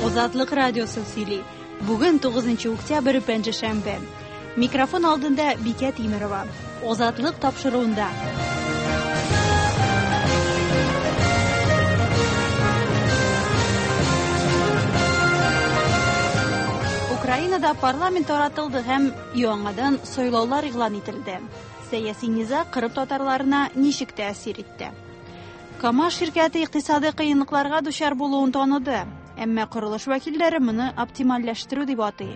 Азатлык радиосы сөйли. Бүген 9 октябрь пәнҗешәмбе. Микрофон алдында Бикә Тимерова. Азатлык тапшыруында. Украинада парламент таратылды һәм яңадан сайлаулар игълан ителде. Сәяси низаг Кырым татарларына ничек тәэсир итте? КАМАЗ ширкәте икътисадый кыенлыкларга дучар булуын таныды, әмма корылыш вәкилләре моны оптимальләштерү дип атый.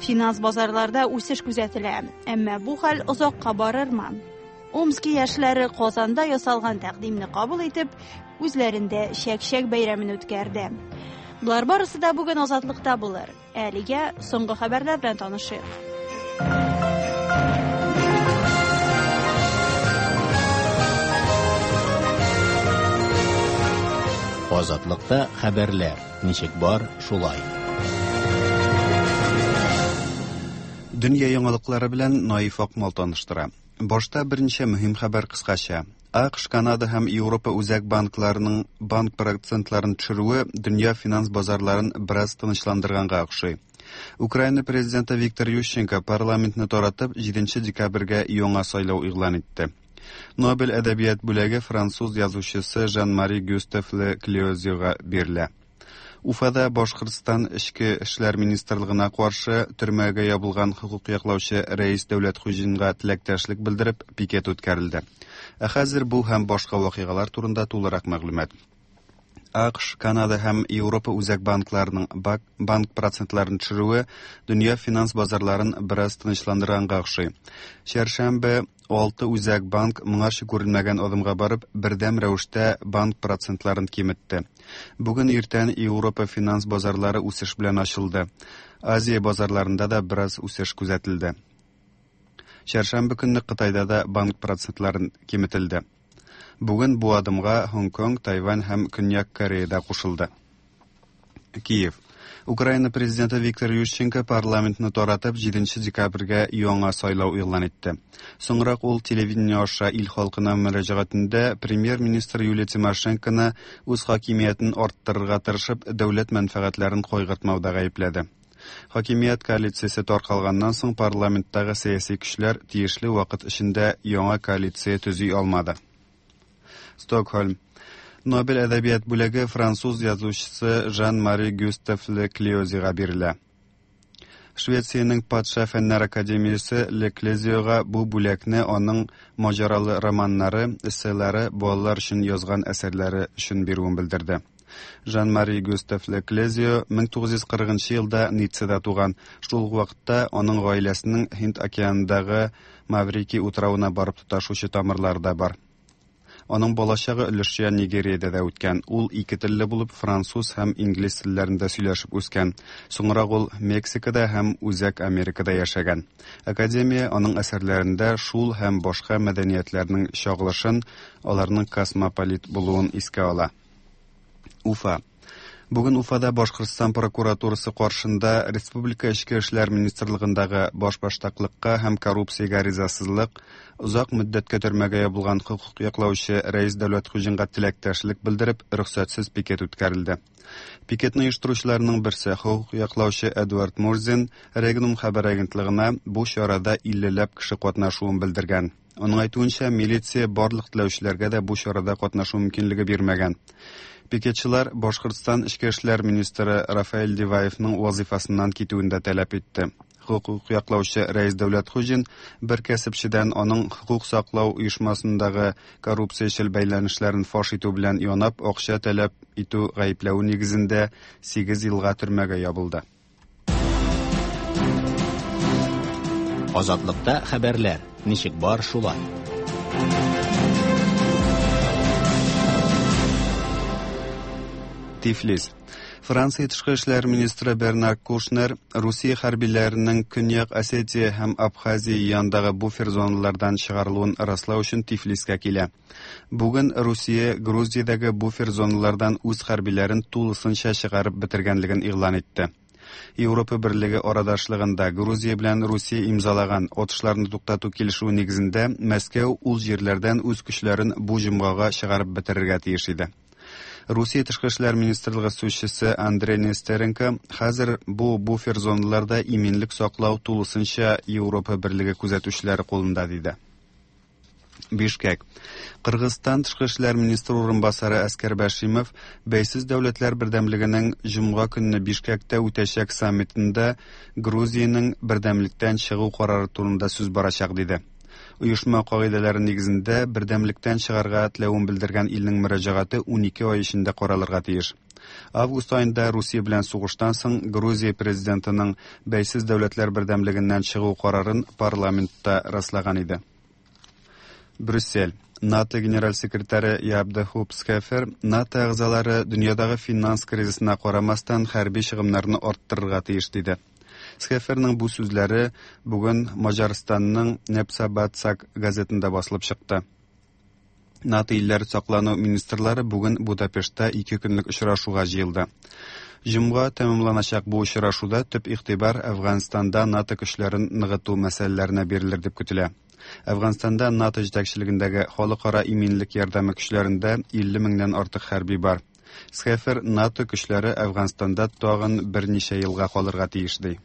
Финанс базарларда үсеш күзәтелә, әмма бу хәл озакка барырмы? Омски яшьләре Казанда ясалган тәкъдимне кабул итеп, үзләрендә чәк-чәк бәйрәмен үткәрде. Болар барысы да бүген Азатлыкта булыр. Әлегә соңгы хәбәрләр белән танышыйк. Азатлыкта хәбәрләр ничек бар, шулай. Дөнья яңалыклары белән Наиф Акмал таныштыра. Башта берничә мөһим хәбәр кыскача. АКШ, Канада һәм Европа үзәк банкларының банк процентларын төшерүе дөнья финанс базарларын бераз тынычландырганга охшый. Украина президенты Виктор Ющенко парламентны таратып, 7 декабрьгә яңа сайлау игълан итте. Нобель әдәбият бүләге француз язучысы Жан-Мари Гюстав Ле Клеозиога бирелә. Уфада Башкортстан Эчке эшләр министрлыгына каршы төрмәгә ябылган хокук яклаучы Рәис Дәүләтхуҗинга теләктәшлек белдереп пикет үткәрелде. Ә хәзер бу һәм башка вакыйгалар турында тулырак мәгълүмат. АКШ, Канада һәм Европа үзәк банкларының банк процентларын төшерүе дөнья финанс базарларын бераз тынычландырганга охшый. Чәршәмбе алты үзәк банк моңарчы күрелмәгән адымга барып, бердәм рәвештә банк процентларын киметте. Бүген иртән Европа финанс базарлары үсеш белән ачылды. Азия базарларында да бераз үсеш күзәтелде. Чәршәмбе көнне Кытайда да банк процентларын киметелде. Бүген бу адымга Һонконг, Тайвань һәм Көньяк Корея да кушылды. Киев. Украина президенты Виктор Ющенко парламентны таратып 7 декабрьгә яңа сайлау игълан итте. Соңрак ул телевидение аша ил халкына мөрәҗәгатендә премьер-министр Юлия Тимошенконы үз хакимиятен арттырырга тырышып, дәүләт мәнфәгатьләрен кайгыртмауда гаепләде. Хакимият коалициясе таркалганнан соң парламенттагы сәяси көчләр тиешле вакыт эчендә яңа коалиция төзи алмады. Стокһольм. Нобель әдәбият бүләге француз язучысы Жан-Мари Гюстав Ле Клеозига бирелә. Швециянең Патша фәннәр академиясе Ле Клезиога бу бүләкне аның маҗаралы романнары, эсселары, балалар өчен язган әсәрләре өчен бирүен белдерде. Жан-Мари Гюстав Ле Клезио 1940 елда Ниццада туган. Шул ук вакытта аның гаиләсенең Һинд океанындагы Маврикий утравына барып тоташучы тамырлары да бар. Аның балачагы өлешчә Нигериядә дә үткән. Ул ике телле булып, француз һәм инглиз телләрендә сөйләшеп үскән. Соңрак ул Мексикада һәм Үзәк Америкада яшәгән. Академия аның әсәрләрендә шул һәм башка мәдәниятләрнең чагылышын, аларның космополит булуын искә ала. Уфа. Бүген Уфада Башкортстан прокуратурасы каршында Республика Эчке эшләр министрлыгындагы башбаштаклыкка һәм коррупциягә ризасызлык, озак мөддәткә төрмәгә ябылган хокук яклаучы Рәис Дәүләтхуҗинга теләктәшлек белдереп, рөхсәтсез пикет үткәрелде. Пикетны оештыручыларның берсе, хокук яклаучы Эдуард Мурзин, Регнум хәбәр агентлыгына бу чарада иллеләп кеше катнашуын белдергән. Аның әйтүенчә, милиция барлык теләүчеләргә дә бу чарада катнашу мөмкинлеге бирмәгән. Пикетчылар Башкортстан эчке эшләр министры Рафаэль Диваевның вазыйфасыннан китүен дә таләп итте. Хокук яклаучы Рәис Дәүләтхуҗин бер кәсепчедән аның хокук саклау оешмасындагы коррупциячел бәйләнешләрен фаш итү белән янап акча таләп итү гаепләве нигезендә 8 елга төрмәгә ябылды. Азатлыкта хәбәрләр ничек бар шулай. Тифлис. Франция тышкы эшләр министры Бернар Кушнер Русия хәрбиләренең Көньяк Осетия һәм Абхазия янындагы буфер зоналардан чыгарылуын раслау өчен Тифлискә килә. Бүген Русия Грузиядәге буфер зоналардан үз хәрбиләрен тулысынча чыгарып бетергәнлеген игълан итте. Европа Берлеге арадашлыгында Грузия белән Русия имзалаган атышларны туктату килешүе нигезендә Мәскәү ул җирләрдән үз көчләрен бу җомгага чыгарып бетерергә тиеш иде. Русия тышкы эшләр министрлыгы сүзчесе Андрей Нестеренко хәзер бу буфер зоналарда иминлек саклау тулысынча Европа берлеге күзәтүчеләре кулында диде. Бишкек. Кыргызстан тышкы эшләр министры урынбасары Әскәр Бәшимов Бәйсез дәүләтләр бердәмлегенең җомга көнне Бишкектә үтәчәк саммитында Грузиянең бердәмлектән чыгу карары турында сүз барачак диде. Оешма кагыйдәләре нигезендә бердәмлектән чыгарга теләвен белдергән илнең мөрәҗәгате 12 ай эчендә каралырга тиеш. Август аенда Русия белән сугыштан соң Грузия президентының Бәйсез дәүләтләр бердәмлегеннән чыгу карарын парламентта раслаган иде. Брюссель. НАТО генераль секретаре Яп де Хуп Схефер НАТО әгъзалары дөньядагы финанс кризисына карамастан хәрби чыгымнарны арттырырга тиеш диде. Схеферның бу сүзләре бүген Маҗарстанның Непсабатсак газетында басылып чыкты. НАТО илләре саклану министрлары бүген Будапештта ике көнлек очрашуга җыелды. Җомга тәмамланачак бу очрашуда төп игътибар Әфганстанда НАТО көчләрен ныгыту мәсьәләләренә бирелер дип көтелә. Әфганстанда НАТО җитәкчелегендәге халыкара иминлек ярдәме көчләрендә 50 меңнән артык хәрби бар. Схефер НАТО көчләре Әфганстанда тагын берничә елга калырга тиеш ди.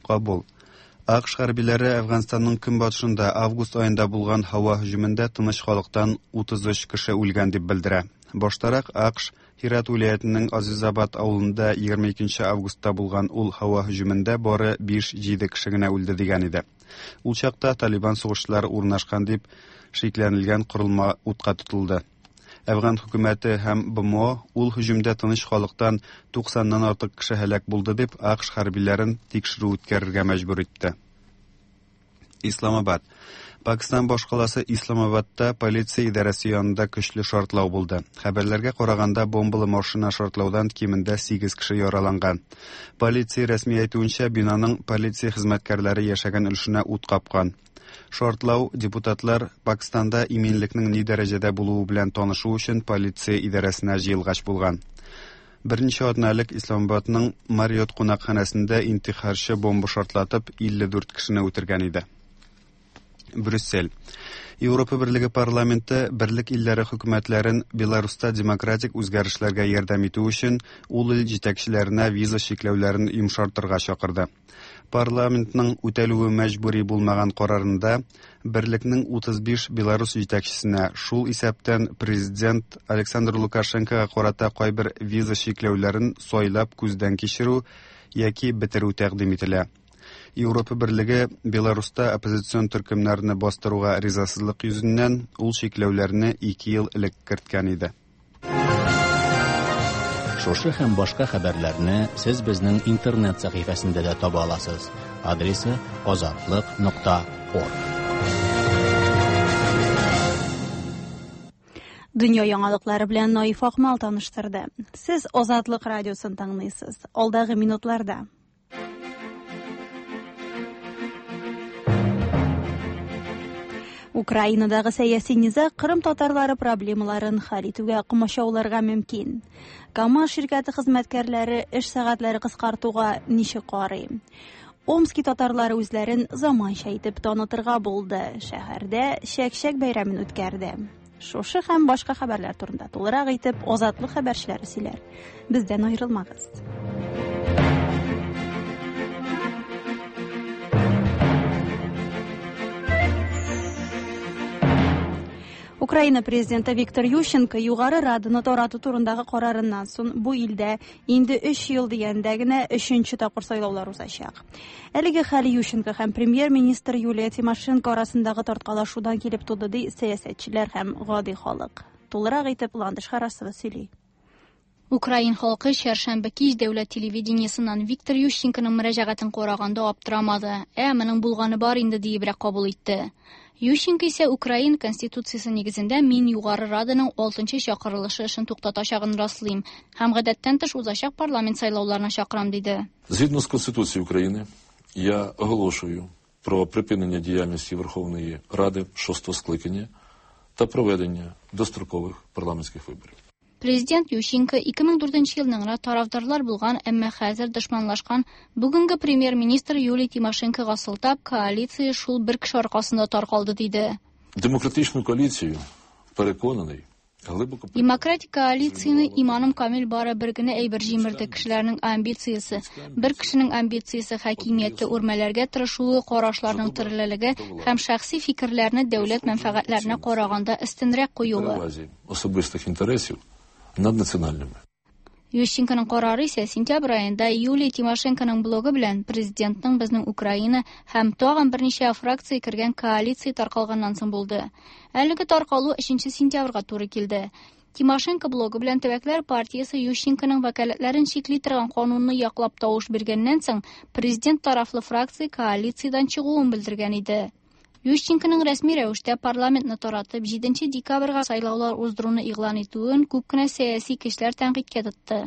Кабул. АКШ хәрбиләре Әфганстанның көнбатышында август аенда булган һава һөҗүмендә тыныч халыктан 33 кеше үлгән дип белдерә. Баштарак АКШ Һират вилаятенең Азизабад авылында 22 августта булган ул һава һөҗүмендә бары 5-7 кеше генә үлде дигән иде. Ул чакта Талибан сугышчылары урнашкан дип шикләнелгән корылма утка тотылды. Әфган хөкүмәте һәм БМО ул һөҗүмдә тыныч халыктан 90-нан артык кеше һәлак булды дип АКШ хәрбиләрен тикшерү үткәрергә мәҗбүр итте. Исламабад. Пакистан башкаласы Исламабадта полиция идарәсе янында көчле шартлау булды. Хәбәрләргә караганда, бомбалы машина шартлаудан кимендә 8 кеше яраланган. Полиция рәсми әйтүенчә, бинаның полиция хезмәткәрләре яшәгән өлешенә ут капкан. Шартлау депутатлар Пакистанда иминлекнең ни дәрәҗәдә булуы белән танышу өчен полиция идарәсенә җыелгач булган. Берничә атна элек Исламабадның Марриот кунакханәсендә интихарчы бомба шартлатып 54 кешене үтергән иде. Брюссель. Европа Берлеге парламенты берлек илләре хөкүмәтләрен Беларуста демократик үзгәрешләргә ярдәм итү өчен ул ил җитәкчеләренә виза чикләүләрен йомшартырга чакырды. Парламентның үтәлүе мәҗбүри булмаган карарында берлекнең 35 Беларус җитәкчесенә, шул исәптән президент Александр Лукашенкога карата кайбер виза чикләүләрен сайлап күздән кичерү яки бетерү тәкъдим ителә. Европа берлеге Беларуста оппозицион төркемнәрне бастыруга ризасызлык йөзеннән ул чикләүләрне 2 ел элек керткән иде. Шушы һәм башка хәбәрләрне сез безнең интернет сәхифәсендә дә таба аласыз. Адресы azatliq.org. Дөнья яңалыклары белән Наиф Акмал таныштырды. Сез Азатлык радиосын тыңлыйсыз. Алдагы минутларда Украинадагы сәяси низаг Кырым татарлары проблемаларын хәл итүгә комачауларга мөмкин. КАМАЗ ширкәте хезмәткәрләре эш сәгатьләре кыскартуга ничек карый? Омски татарлары үзләрен заманча итеп танытырга булды. Шәһәрдә чәк-чәк бәйрәмен үткәрде. Шушы һәм башка хәбәрләр турында тулырак итеп Азатлык хәбәрчеләре сөйләр. Бездән аерылмагыз. Украина президенты Виктор Ющенко Югары Раданы тарату турындагы карарыннан соң бу илдә инде 3 ел дигәндә генә 3нче тапкыр сайлаулар узачак. Әлеге хәл Ющенко һәм премьер-министр Юлия Тимошенко арасындагы тарткалашудан килеп туды, ди сәясәтчеләр һәм гади халык. Тулырак итеп Ландыш Харасова сөйли. Украин халкы чәршәмбе кич дәүләт телевидениесеннән Виктор Ющенконың мөрәҗәгатен караганда аптырамады. Ә моның булганы бар инде диебрәк кабул итте. Ющенко исә Украин конституциясе нигезендә мин Югары Раданың 6нчы чакырылышы эшен туктатачагын раслыйм һәм гадәттән тыш узачак парламент сайлауларына чакырам, диде. Згідно з Конституцією України, я оголошую про припинення діяльності Верховної Ради 6-го скликання та проведення дострокових парламентських виборів. Президент Ющенко 2004 елның гына тарафдарлар булган, әмма хәзер дошманлашкан бүгенге премьер-министр Юлия Тимошенкога сылтап, коалиция шул бер кеше аркасында таркалды, диде. Демократичну коаліцію, переконаний, Глибоко Демократик коалицияне иманым камил бары бер генә әйбер җимерде кешеләрнең амбициясе. Бер кешенең амбициясе хакимияттә үрмәләргә тырышуы, карашларның төрлелеге һәм шәхси фикерләрне дәүләт мәнфәгатьләренә караганда өстенрәк куюы. перевазі особистих інтересів над національними. Ющенконың карары исә сентябрь аенда Юлия Тимошенконың блогы белән президентның безнең Украина һәм тагын берничә фракция кергән коалиция таркалганнан соң булды. Әлеге таркалу 3 сентябрьгә туры килде. Тимошенко блогы белән Төбәкләр партиясе Ющенконың вәкаләтләрен чикли торган канунны яклап тавыш биргәннән соң президент тарафлы фракция коалициядән чыгуын белдергән иде. Ющенконың рәсми рәвештә парламентны таратып 7 декабрьгә сайлаулар уздыруны игълан итүен күп кенә сәяси кешеләр тәнкыйтькә тотты.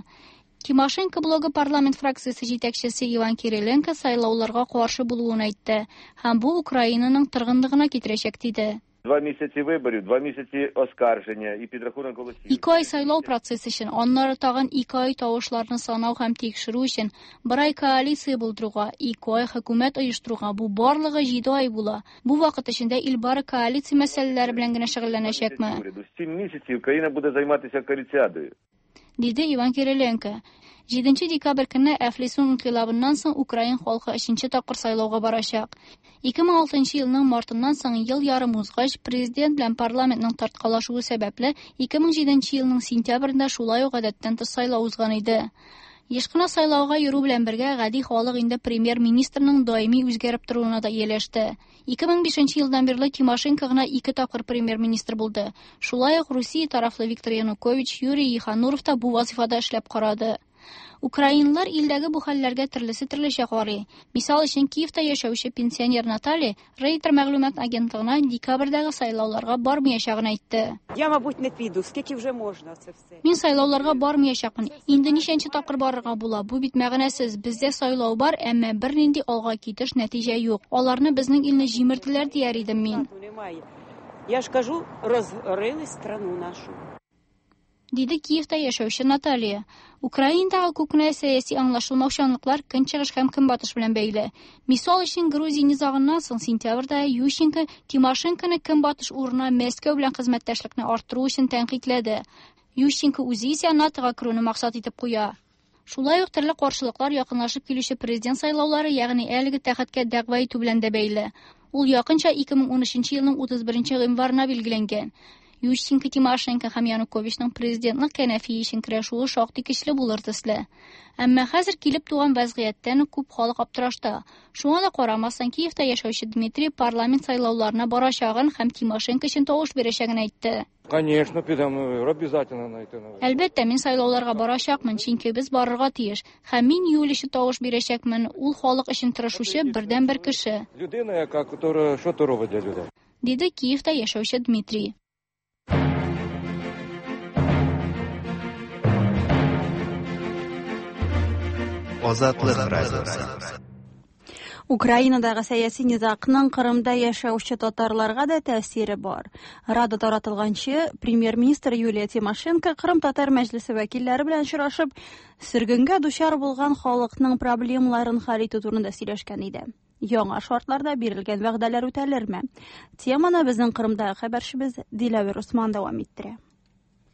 Тимошенко блогы парламент фракциясе җитәкчесе Иван Кириленко сайлауларга каршы булуын әйтте һәм бу Украинаның торгынлыгына китерәчәк диде. 2 місяці виборів, 2 місяці оскарження і підрахунок голосів. 2 ай сайлау процессы өчен, аннары тагын 2 ай тавышларны санау һәм тикшерү өчен, 1 ай коалиция булдыруга, 2 ай хөкүмәт оештыруга, бу барлыгы 7 ай була. Бу вакыт эчендә ил бары коалиция мәсьәләләре белән генә шөгыльләнәчәкме? Уряду. 7 місяців країна буде займатися коаліціадою. Диде Иван Кириленко. 7 декабрь көнне Әфлисун инкыйлабыннан соң Украин халкы 3 тапкыр сайлауга барачак. 2006 елның мартыннан соң ел ярым узгач, президент белән парламентның тарткалашуы сәбәпле 2007 елның сентябрендә шулай ук гадәттән тыш сайлау узган иде. Еш кына сайлауга йөрү белән бергә гади халык инде премьер-министрның даими үзгәреп торуына да ияләште. 2005 елдан бирле Тимошенко гына 2 тапкыр премьер-министр булды. Шулай ук Русия тарафлы Виктор Янукович, Юрий Ехануров та бу вазифада эшләп карады. Украинлар илдәге бу хәлләргә төрлесе төрлечә карый. Мисал өчен, Киевта яшәүче пенсионер Наталья Рейтер мәгълүмат агентлыгына декабрьдәге сайлауларга бармаячагын әйтте. Я, мабуть, не піду. Скільки вже можна це все? Мин сайлауларга бармаячакмын. Инде ничәнче тапкыр барырга була? Бу бит мәгънәсез. Бездә сайлау бар, әмма бернинди алга китеш нәтиҗә юк. Аларны безнең илне җимерделәр дияр идем мин. Немає. Я ж кажу, розорили страну нашу. Диде Киевта яшәүче Наталья. Украинадагы күп кенә сәяси аңлашылмаучанлыклар көнчыгыш һәм көнбатыш белән бәйле. Мисал өчен, Грузия низагыннан соң сентябрьдә Ющенко Тимошенконы көнбатыш урынына Мәскәү белән хезмәттәшлекне арттыру өчен тәнкыйтьләде. Ющенко үзе исә НАТОга керүне максат итеп куя. Шулай ук төрле каршылыклар якынлашып килүче президент сайлаулары, ягъни әлеге тәхеткә дәгъва итү белән дә бәйле. Ул якынча 2013 елның 31 гыйнварына билгеләнгән. Ющенко, Тимошенко һәм Януковичның президентлык кәнәфие өчен көрәшүе шактый көчле булыр төсле. Әмма хәзер килеп туган вәзгыятьтән күп халык аптырашта. Шуңа да карамастан, Киевта яшәүче Дмитрий парламент сайлауларына барачагын һәм Тимошенко өчен тавыш бирәчәген әйтте. Конечно, підемо на вибори, обязательно найти на вибори. Әлбәттә, мин сайлауларга барачакмын, чөнки без барырга тиеш. Һәм мин Юлия өчен тавыш бирәчәкмен. Ул халык өчен тырышучы бердәнбер кеше. Людина, яка, которая що то робить для людей. Диде Киевта яшәүче Дмитрий. Азатлык радиосы. Украинадагы сәяси низагның Кырымда яшәүче татарларга да тәэсире бар. Рада таратылганчы премьер-министр Юлия Тимошенко Кырым татар мәҗлесе вәкилләре белән очрашып, сөргенгә дучар булган халыкның проблемаларын хәл итү турында сөйләшкән иде. Яңа шартларда бирелгән вәгъдәләр үтәлерме? Теманы безнең Кырымдагы хәбәрчебез Диләвер Усман дәвам иттерә.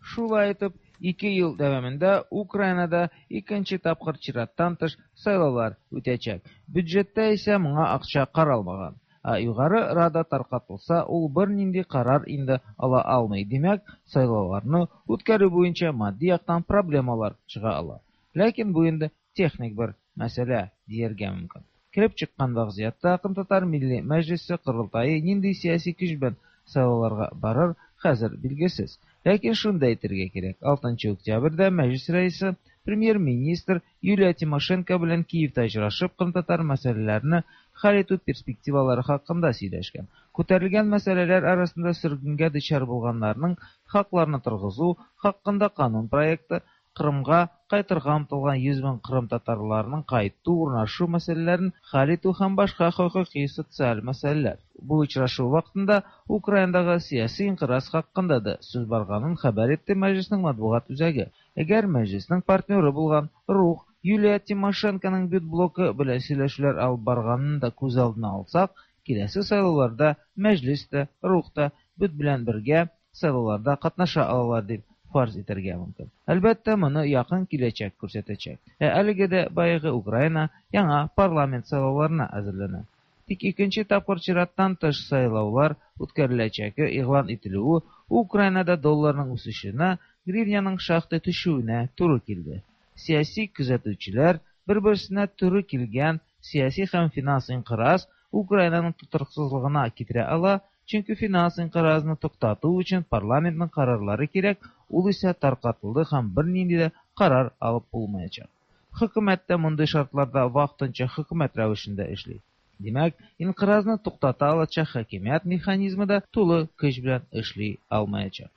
Шулай итеп, 2 ел дәвамында Украинада икенче тапкыр чираттан тыш сайлаулар үтәчәк. Бюджетта исә моңа акча каралмаган. Ә югары Рада таркатылса, ул бернинди карар инде ала алмый. Димәк, сайлауларны үткәрү буенча матди яктан проблемалар чыга ала. Ләкин бу инде техник бер мәсьәлә дияргә мөмкин. Килеп чыккан вазгыятьтә Кырымтатар Милли Мәҗлесе корылтае нинди сәяси көч белән сайлауларга барыр, хәзер билгесез. Ләкин шуны да әйтергә кирәк, 6 октябрьдә мәҗлес рәисе премьер-министр Юлия Тимошенко белән Киевта очрашып, кырымтатар мәсьәләләрен хәл итү перспективалары хакында сөйләшкән. Күтәрелгән мәсьәләләр арасында сөргенгә дучар булганнарның хакларын торгызу хакында канун проекты, Кырымга кайтырга омтылган 100 мең кырым татарларының кайту, урнашу мәсьәләләрен хәл итү һәм башка хокукый социаль мәсьәләләр. Бу очрашу вакытында Украинадагы сәяси инкыйраз хакында да сүз барганын хәбәр итте мәҗлеснең матбугат үзәге. Әгәр мәҗлеснең партнеры булган Рух Юлия Тимошенконың бют блокы белән сөйләшүләр алып барганын да күз алдына алсак, киләсе сайлауларда мәҗлес тә, Рух та бют белән бергә сайлауларда катнаша алалар дип фарз итәргә мөмкин. Әлбәттә, моны якын киләчәк күрсәтәчәк. Ә әлеге дә баягы Украина яңа парламент сайлауларына әзерләнә. Тик икенче тапкыр чираттан тыш сайлаулар үткәреләчәге игълан ителүе Украинада долларның үсешенә, гривняның шактый төшүенә туры килде. Сәяси күзәтүчеләр бер-берсенә туры килгән сәяси һәм финанс инкыйраз Украинаның тотрыксызлыгына китерә ала, чөнки финанс инкыйразны туктату өчен парламентның карарлары кирәк, ул исә таркатылды һәм бернинди дә карар алып булмаячак. Хөкүмәт тә мондый шартларда вакытынча хөкүмәт рәвешендә эшли. Димәк, инкыйразны туктата алачак хакимият механизмы да тулы көч белән эшли алмаячак.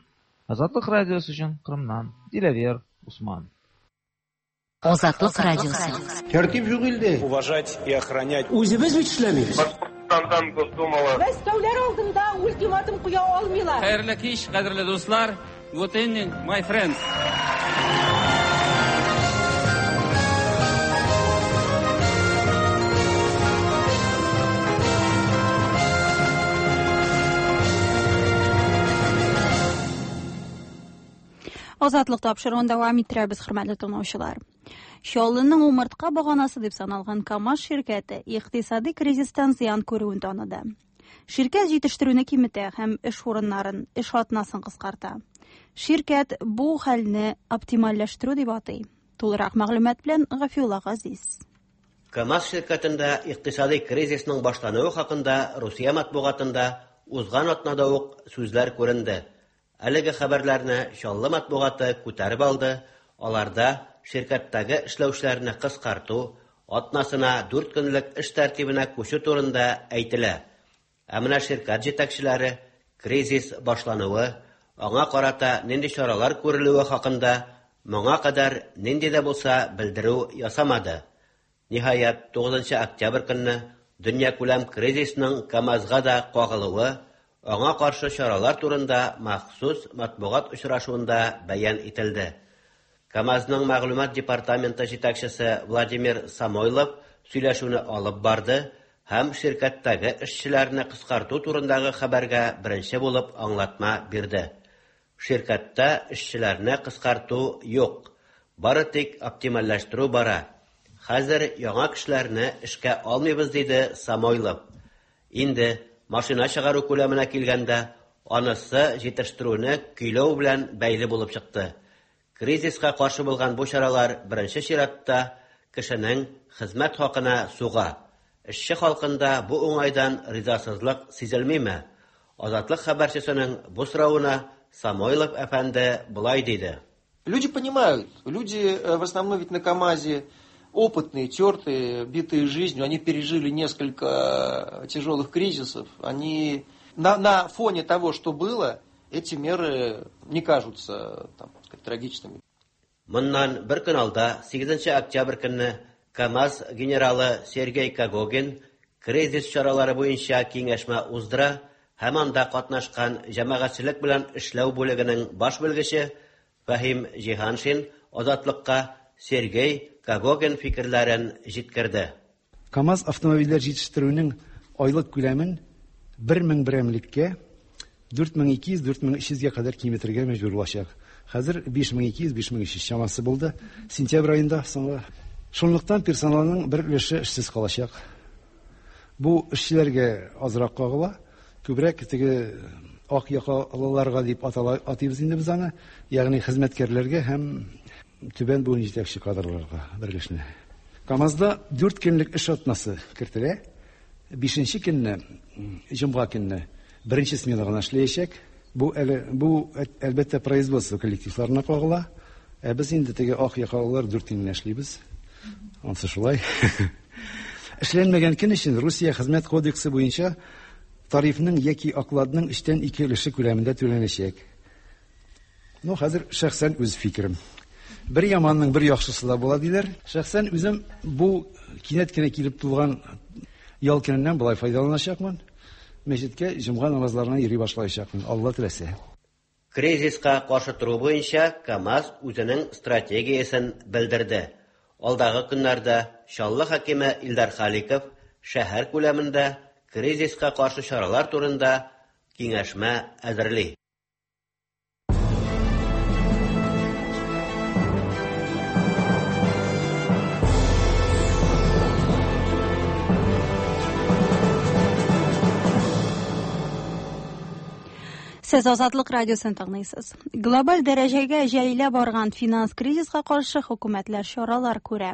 Азатлык радиосы өчен Кырымнан Диләвер Усман. Азатлык радиосы. Тәртип юк илдә. Уважать и охранять. Үзебез бит эшләмибез. Башкортстандан Госдумалы. Мәскәүләр алдында ультиматум куя алмыйлар. Хәерле кич, кадерле дуслар. Good evening, my friends. Азатлык тапшыруын дәвам иттерәбез, хөрмәтле тыңлаучылар. Чаллының умыртка баганасы дип саналган КАМАЗ ширкәте икътисади кризистан зыян күрүен таныды. Ширкәт җитештерүне киметә һәм эш урыннарын, эш атнасын кыскарта. Ширкәт бу хәлне оптимальләштерү дип атый. Тулырак мәгълүмат белән Гафиулла Газиз. КАМАЗ ширкәтендә икътисади кризисның башлануы хакында Русия матбугатында узган атнада ук сүзләр күренде. Әлеге хәбәрләрне Чаллы матбугаты күтәреп алды. Аларда ширкәттәге эшләүчеләрне кыскарту, атнасына 4 көнлек эш тәртибенә күчү турында әйтелә. Ә менә ширкәт җитәкчеләре кризис башлануы, аңа карата нинди чаралар күрелүе хакында моңа кадәр нинди дә булса белдерү ясамады. Ниһаять, 9 октябрь көнне дөньякүләм кризисның КАМАЗга да кагылуы, аңа каршы чаралар турында махсус матбугат очрашуында бәян ителде. КАМАЗның мәгълүмат департаменты җитәкчесе Владимир Самойлов сөйләшүне алып барды һәм ширкәттәге эшчеләрне кыскарту турындагы хәбәргә беренче булып аңлатма бирде. Ширкәттә эшчеләрне кыскарту юк, бары тик оптимальләштерү бара. Хәзер яңа кешеләрне эшкә алмыйбыз, диде Самойлов. Инде машина чыгару күләменә килгәндә, анысы җитештерүне көйләү белән бәйле булып чыкты. Кризиска каршы булган бу чаралар беренче чиратта кешенең хезмәт хакына суга. Эшче халкында бу уңайдан ризасызлык сизелмиме? Азатлык хәбәрчесенең бу соравына Самойлов әфәнде болай диде. Люди понимают, люди в основном ведь на КАМАЗе опытные, тертые, битые жизнью, они пережили несколько тяжелых кризисов, они на фоне того, что было, эти меры не кажутся там, сказать, трагичными. Моннан бер көн алда, 8 октябрь көнне КАМАЗ генералы Сергей Когогин кризис чаралары буенча киңәшмә уздыра һәм анда катнашкан җәмәгатьчелек белән эшләү бүлегенең баш белгече Фәһим Җиһаншин Азатлыкка Сергей Когогин фикерләрен җиткерде. КАМАЗ автомобильләр җитештерүнең айлык күләмен 1000 берәмлеккә 4200-4300 гә кадәр киметергә мәҗбүр булачак. Хәзер 5200-5300 чамасы булды. Сентябрь аенда соңгы. Шунлыктан персоналның бер өлеше эшсез калачак. Бу эшчеләргә азрак кагыла, күбрәк теге ак якалыларга дип атыйбыз инде без аны, ягъни хезмәткәрләргә һәм түбән буын җитәкче кадрларга бер өлешне. КАМАЗда 4 көнлек эш атнасы кертелә. 5 көнне, җомга көнне беренче смена гына эшләячәк. Бу әле бу әлбәттә производство коллективларына кагыла. Ә без инде теге ак якалылар 4 көн эшлибез. Ансы шулай. Эшләнмәгән көн өчен Русия хезмәт кодексы буенча тарифның яки окладның 2/3 өлеше күләмендә түләнәчәк. Ну, хәзер шәхсән үз фикерем. Бер яманның бер яхшысы да була диләр. Шәхсән үзем бу кинәт кенә килеп тулган ял көненнән болай файдаланачакмын. Мәчеткә җомга намазларына йөри башлаячакмын, Алла теләсә. Кризиска каршы тору буенча КАМАЗ үзенең стратегиясен белдерде. Алдагы көннәрдә Чаллы хакиме Илдар Халиков шәһәр күләмендә кризиска каршы чаралар турында киңәшмә әзерли. Сез Азатлык радиосын тыңлыйсыз. Глобаль дәрәҗәгә җәелә барган финанс кризиска каршы хөкүмәтләр чаралар күрә.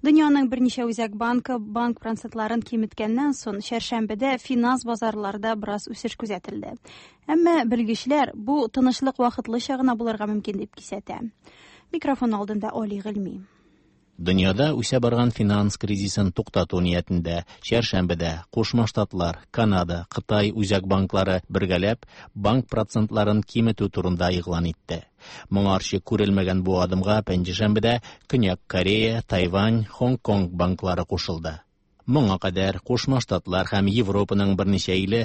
Дөньяның берничә үзәк банкы банк процентларын киметкәннән соң, чәршәмбедә финанс базарларда бераз үсеш күзәтелде. Әмма белгечләр бу тынычлык вакытлыча гына булырга мөмкин дип кисәтә. Микрофон алдында Оли Гыйльми. Дөньяда үсә барган финанс кризисын туктату ниятендә чәршәмбедә Кушма Штатлар, Канада, Кытай үзәк банклары бергәләп банк процентларын киметү турында игълан итте. Моңарчы күрелмәгән бу адымга пәнҗешәмбедә Көньяк Корея, Тайвань, Хонг-Конг банклары кушылды. Моңа кадәр Кушма Штатлар һәм Европаның берничә иле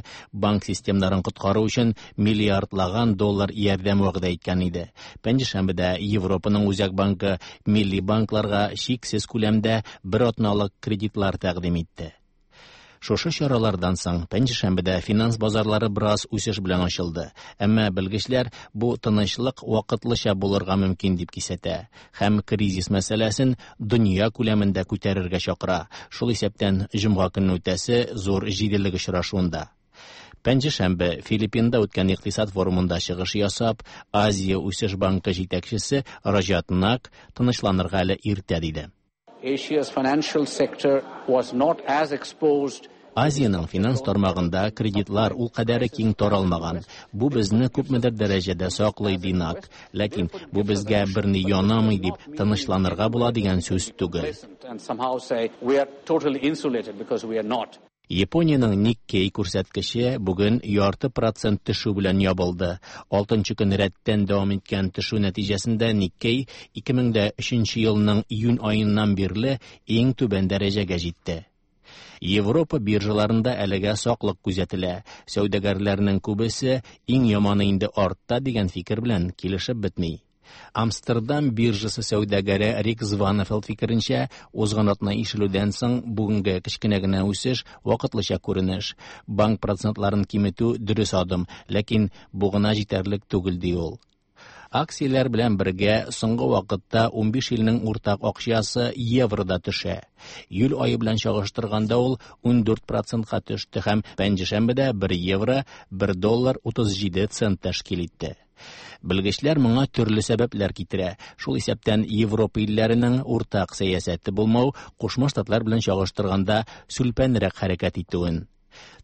банк системнарын коткару өчен миллиардлаган доллар ярдәм вәгъдә иткән иде. Пәнҗешәмбедә Европаның үзәк банкы милли банкларга чиксез күләмдә бер атналык кредитлар тәкъдим итте. Шушы чаралардан соң пәнҗешәмбедә финанс базарлары бераз үсеш белән ачылды. Әмма белгечләр бу тынычлык вакытлыча булырга мөмкин дип кисәтә һәм кризис мәсьәләсен дөнья күләмендә күтәрергә чакыра. Шул исәптән җомга көнне үтәсе зур җиделлек очрашуында. Пәнҗешәмбе Филиппинда үткән икътисад форумында чыгыш ясап, Азия үсеш банкы җитәкчесе Раҗат Нак тынычланырга әле иртә диде. Asia's financial sector was not as exposed Азиянең финанс тармагында кредитлар ул кадәре киң таралмаган. Бу безне күпмедер дәрәҗәдә саклый, ди Нак. Ләкин бу безгә берни янамый дип тынычланырга була дигән сүз түгел. and somehow say we are totally insulated because we are not. Япониянең Никкей күрсәткече бүген ярты процент төшү белән ябылды. Алтынчы көн рәттән дәвам иткән төшү нәтиҗәсендә Никкей 2003 елның июнь аеннан бирле иң түбән дәрәҗәгә җитте. Европа биржаларында әлегә саклык күзәтелә. Сәүдәгәрләрнең күбесе иң яманы инде артта дигән фикер белән килешеп бетми. Амстердам биржасы сәүдәгәре Рик Званафелд фикеренчә, узган атна ишелүдән соң бүгенге кечкенә генә үсеш вакытлыча күренеш. Банк процентларын киметү дөрес адым, ләкин бу гына җитәрлек түгел ди ул. Акцияләр белән бергә соңгы вакытта 15 илнең уртак акчасы евро да төшә. Июль ае белән чагыштырганда ул 14%ка төште һәм пәнҗешәмбедә 1 евро 1 доллар 37 цент тәшкил итте. Белгечләр моңа төрле сәбәпләр китерә. Шул исәптән Европа илләренең уртак сәясәте булмау, Кушма Штатлар белән чагыштырганда сүлпәнрәк хәрәкәт итүен.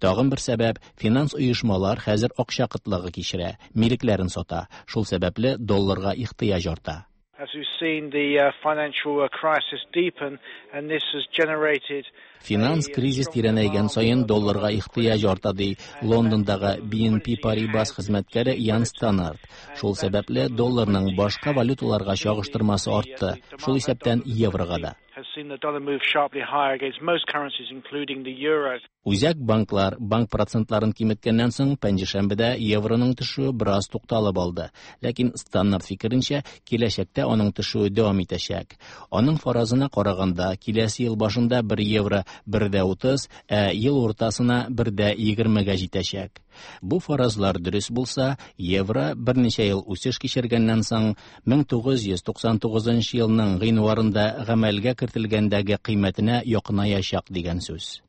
Тагын бер сәбәп финанс оешмалар хәзер акча кытлыгы кичерә, милекләрен сата. Шул сәбәпле долларга ихтыяҗ арта. As we've seen the financial crisis deepen, and this has generated Финанс кризис тирәнәйгән саен долларга ихтыяҗ арта, ди Лондондагы BNP Paribas хезмәткәре Ян Станнард. Шул сәбәпле долларның башка валюталарга чагыштырмасы артты, шул исәптән еврога да. has seen the dollar move sharply higher against most currencies, including the euro. Үзәк банклар банк процентларын киметкәннән соң пәнҗешәмбедә евроның төшүе бераз тукталып алды. Ләкин Станнард фикеренчә, киләчәктә аның төшүе дәвам итәчәк. Аның фаразына караганда, киләсе ел башында 1 евро 1,30, ә ел уртасына 1,20-гә җитәчәк. Бу фаразлар дөрес булса, евро берничә ел үсеш кичергәннән соң 1999 елның гыйнварында гамәлгә кертелгәндәге кыйммәтенә якынаячак дигән сүз.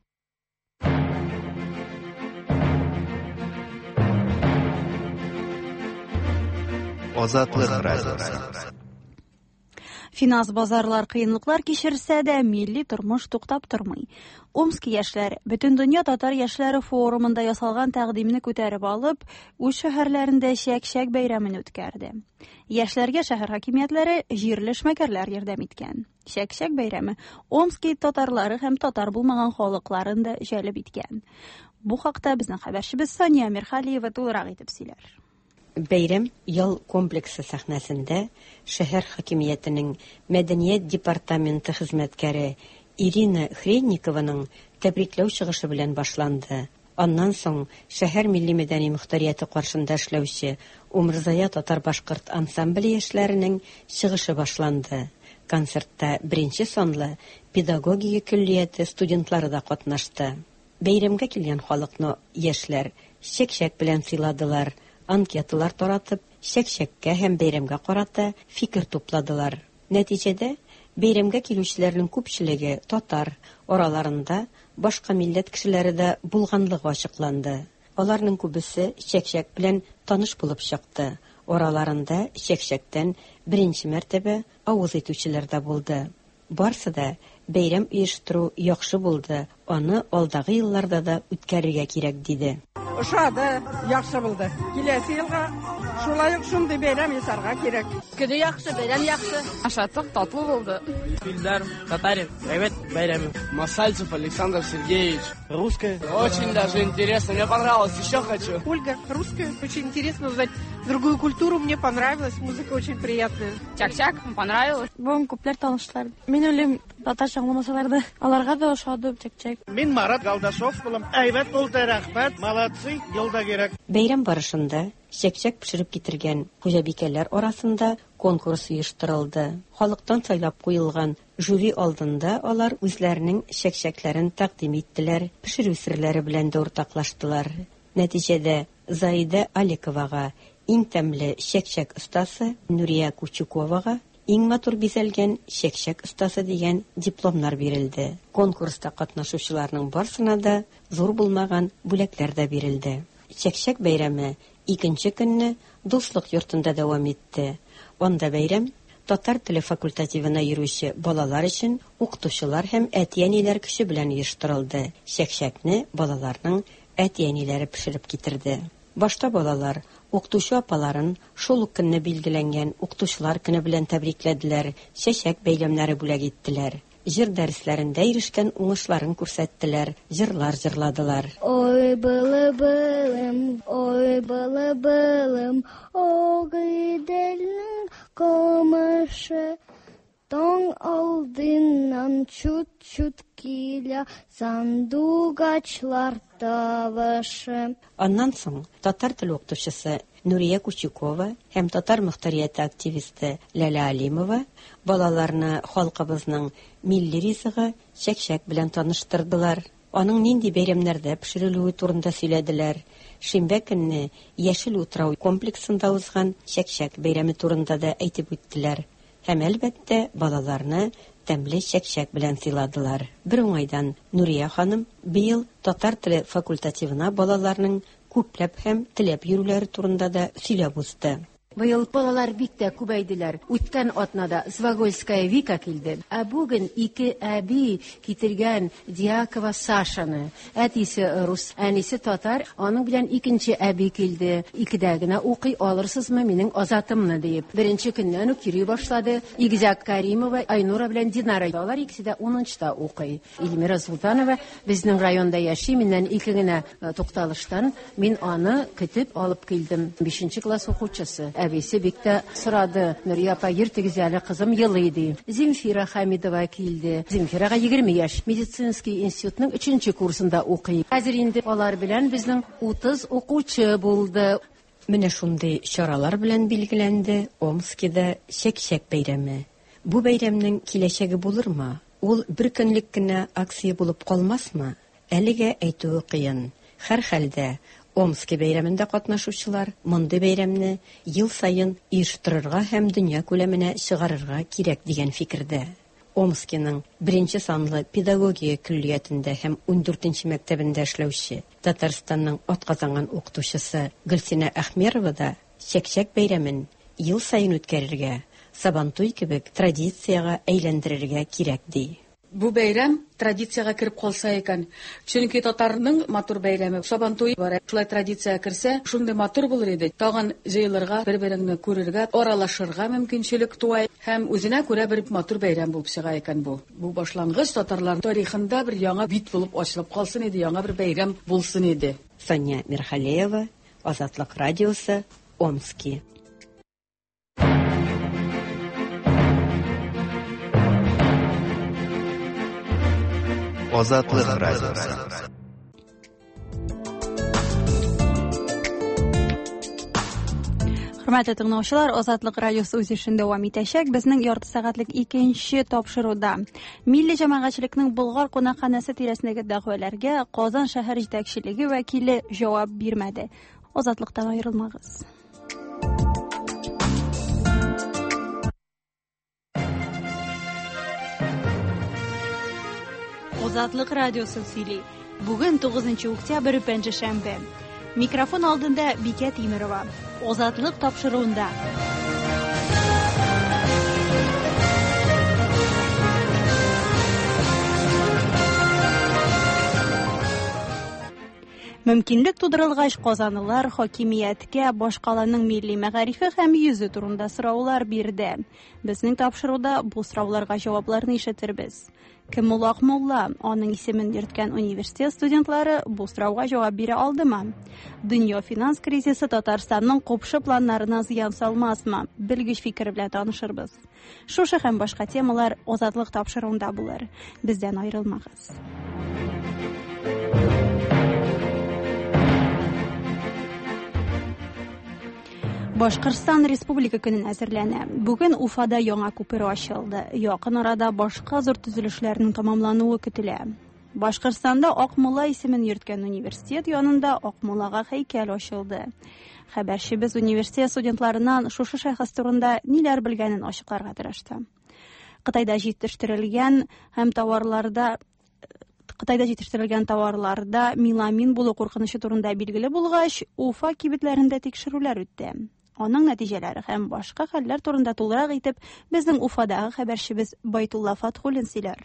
Азатлык радиосы. Финанс базарлар кыенлыклар кичерсә дә, милли тормыш туктап тормый. Омск яшьләре Бөтендөнья татар яшьләре форумында ясалган тәкъдимне күтәреп алып, үз шәһәрләрендә чәк-чәк бәйрәмен үткәрде. Яшьләргә шәһәр хакимиятләре, җирле эшмәкәрләр ярдәм иткән. Чәк-чәк бәйрәме Омски татарлары һәм татар булмаган халыкларын да җәлеп иткән. Бу хакта безнең хәбәрчебез Сания Мирхалиева тулырак итеп сөйләр. Бәйрәм ял комплексы сәхнәсендә шәһәр хакимиятенең мәдәният департаменты хезмәткәре Ирина Хренникованың тәбрикләү чыгышы белән башланды. Аннан соң шәһәр милли мәдәни мохтарияте каршында эшләүче Умырзая татар-башкорт ансамбле яшьләренең чыгышы башланды. Концертта беренче санлы педагогия көллияте студентлары да катнашты. Бәйрәмгә килгән халыкны яшьләр чәк-чәк белән сыйладылар, анкеталар таратып, чәк-чәккә һәм бәйрәмгә карата фикер тупладылар. Нәтиҗәдә, бәйрәмгә килүчеләрнең күпчелеге татар, араларында башка милләт кешеләре дә булганлыгы ачыкланды. Аларның күбесе чәкчәк белән таныш булып чыкты. Араларында чәкчәктән беренче мәртәбә авыз итүчеләр дә булды. Барсы да бәйрәм оештыру яхшы булды, аны алдагы елларда да үткәрергә кирәк, диде. Ошады, яхшы булды. Киләсе елга шулай ук шундый бәйрәм ясарга кирәк. Көне яхшы, бәйрәм яхшы. Ашаттык, татлы булды. Фильдар, татарин, әйбәт бәйрәм. Масальцев Александр Сергеевич. Русская. Очень даже интересно, мне понравилось, еще хочу. Ольга, русская, очень интересно узнать другую культуру, мне понравилось, музыка очень приятная. Чак-чак, понравилось. Бүген күпләр таныштылар. Мин уйлыйм, татарча аңламасалар да, аларга да ошады чәкчәк. Мин Марат Галдашов булам. Әйбәт булды, рәхмәт, молодцы, ел да кирәк. Бәйрәм барышында чәкчәк пешереп китергән хуҗабикәләр арасында конкурс оештырылды. Халыктан сайлап куелган жюри алдында алар үзләренең чәкчәкләрен тәкъдим иттеләр, пешерү серләре белән дә уртаклаштылар. Нәтиҗәдә Заида Аликовага иң тәмле чәкчәк остасы, Нурия Кучуковага иң матур бизәлгән чәкчәк остасы дигән дипломнар бирелде. Конкурста катнашучыларның барсына да зур булмаган бүләкләр дә бирелде. Чәкчәк бәйрәме икенче көнне Дуслык йортында дәвам итте. Анда бәйрәм татар теле факультативына йөрүче балалар өчен укытучылар һәм әти-әниләр көче белән оештырылды. Чәкчәкне балаларның әти-әниләре пешереп китерде. Башта балалар укытучы апаларын шул ук көнне билгеләнгән укытучылар көне белән тәбрикләделәр, чәчәк бәйләмнәре бүләк иттеләр. Җыр дәресләрендә ирешкән уңышларын күрсәттеләр, җырлар җырладылар. Ой, было-былым, ой, было-былым, Агыйделнең камышы. Таң алдыннан чут-чут килә сандугачлар тавышы. Аннан соң татар теле укытучысы Нурия Кучукова һәм татар мохтарияте активисты Ләлә Алимова балаларны халкыбызның милли ризыгы чәкчәк белән таныштырдылар. Аның нинди бәйрәмнәрдә пешерелүе турында сөйләделәр. Шимбә көнне Яшел утрау комплексында узган чәкчәк бәйрәме турында да әйтеп үттеләр. Һәм, әлбәттә, балаларны тәмле чәкчәк белән сыйладылар. Бер уңайдан Нурия ханым быел татар теле факультативына балаларның күпләп һәм теләп йөрүләре турында да сөйләп узды. Быел балалар бик тә күбәйделәр. Үткән атнада Звагольская Вика килде. Ә бүген ике әби китергән Дьякова Сашаны. Әтисе рус, әнисе татар. Аның белән икенче әби килде. Икедә генә укый алырсызмы минем Азатымны диеп. Беренче көннән үк йөри башлады. Игезәк Каримова, Айнура белән Динара. Алар икесе дә унынчыда укый. Эльмира Султанова безнең районда яши, миннән ике генә тукталыштан мин аны көтеп алып килдем. Бишенче класс укучысы. Әбисе бик тә сорады. Нурия апа, йөртегез әле, кызым елый ди. Земфира Хамидова килде. Земфирага 20 яшь. Медицинский институтның 3нче курсында укый. Хәзер инде алар белән безнең 30 укучы булды. Менә шундый чаралар белән билгеләнде Омскида чәкчәк бәйрәме. Бу бәйрәмнең киләчәге булырмы? Ул бер көнлек кенә акция булып калмасмы? Әлегә әйтүе кыен. Һәрхәлдә Омски бәйрәмендә катнашучылар мондый бәйрәмне ел саен оештырырга һәм дөнья күләменә чыгарырга кирәк дигән фикердә. Омскиның беренче санлы педагогия көллиятендә һәм ундүртенче мәктәбендә эшләүче Татарстанның атказанган укытучысы Гөлсинә Әхмерова да чәкчәк бәйрәмен ел саен үткәрергә, Сабантуй кебек традициягә әйләндерергә кирәк ди. Бу бәйрәм традициягә кереп калса икән. Чөнки татарның матур бәйрәме Сабантуй бар. Шулай традициягә керсә, шундый матур булыр иде. Тагын җыелырга, бер-береңне күрергә, аралашырга мөмкинчелек туа һәм үзенә күрә бер матур бәйрәм булып чыга икән бу. Бу башлангыч татарлар тарихында бер яңа бит булып ачылып калсын иде, яңа бер бәйрәм булсын иде. Сания Мирхалеева, Азатлык радиосы, Омски. Азатлык радиосы. Хөрмәтле тыңлаучылар, Азатлык радиосы үз эшен дәвам итәчәк. Безнең ярты сәгатьлек икенче тапшыруда милли җәмәгатьчелекнең Болгар кунакханәсе тирәсендәге дәгъваләргә Казан шәһәр җитәкчелеге вәкиле җавап бирмәде. Азатлыктан аерылмагыз. Азатлык радиосы сөйли. Бүген 9 октябрь, пәнҗешәмбе. Микрофон алдында Бикә Тимерова. Азатлык тапшыруында. Мөмкинлек тудырылгач, казанлылар хакимияткә башкаланың милли мәгарифе һәм йөзе турында сораулар бирде. Безнең тапшыруда бу сорауларга җавапларны ишетербез. Кем ул Акмулла? Аның исемен йөрткән университет студентлары бу сорауга җавап бирә алдымы? Дөнья финанс кризисы Татарстанның купшы планнарына зыян салмасмы? Белгеч фикере белән танышырбыз. Шушы һәм башка темалар Азатлык тапшыруында булыр. Бездән аерылмагыз. Башкортстан Республика көнен әзерләнә. Бүген Уфада яңа күпер ачылды. Якын арада башка зур төзелешләрнең тәмамлануы көтелә. Башкортстанда Акмулла исемен йөрткән университет янында Акмуллага һәйкәл ачылды. Хәбәрчебез университет студентларыннан шушы шәхес турында ниләр белгәнен ачыкларга тырышты. Кытайда җитештерелгән һәм товарларда Кытайда җитештерелгән товарларда меламин булу куркынычы турында билгеле булгач, Уфа кибетләрендә тикшерүләр үтте. Аның нәтиҗәләре һәм башка хәлләр турында тулырак итеп безнең Уфадагы хәбәрчебез Байтулла Фатхуллин сөйләр.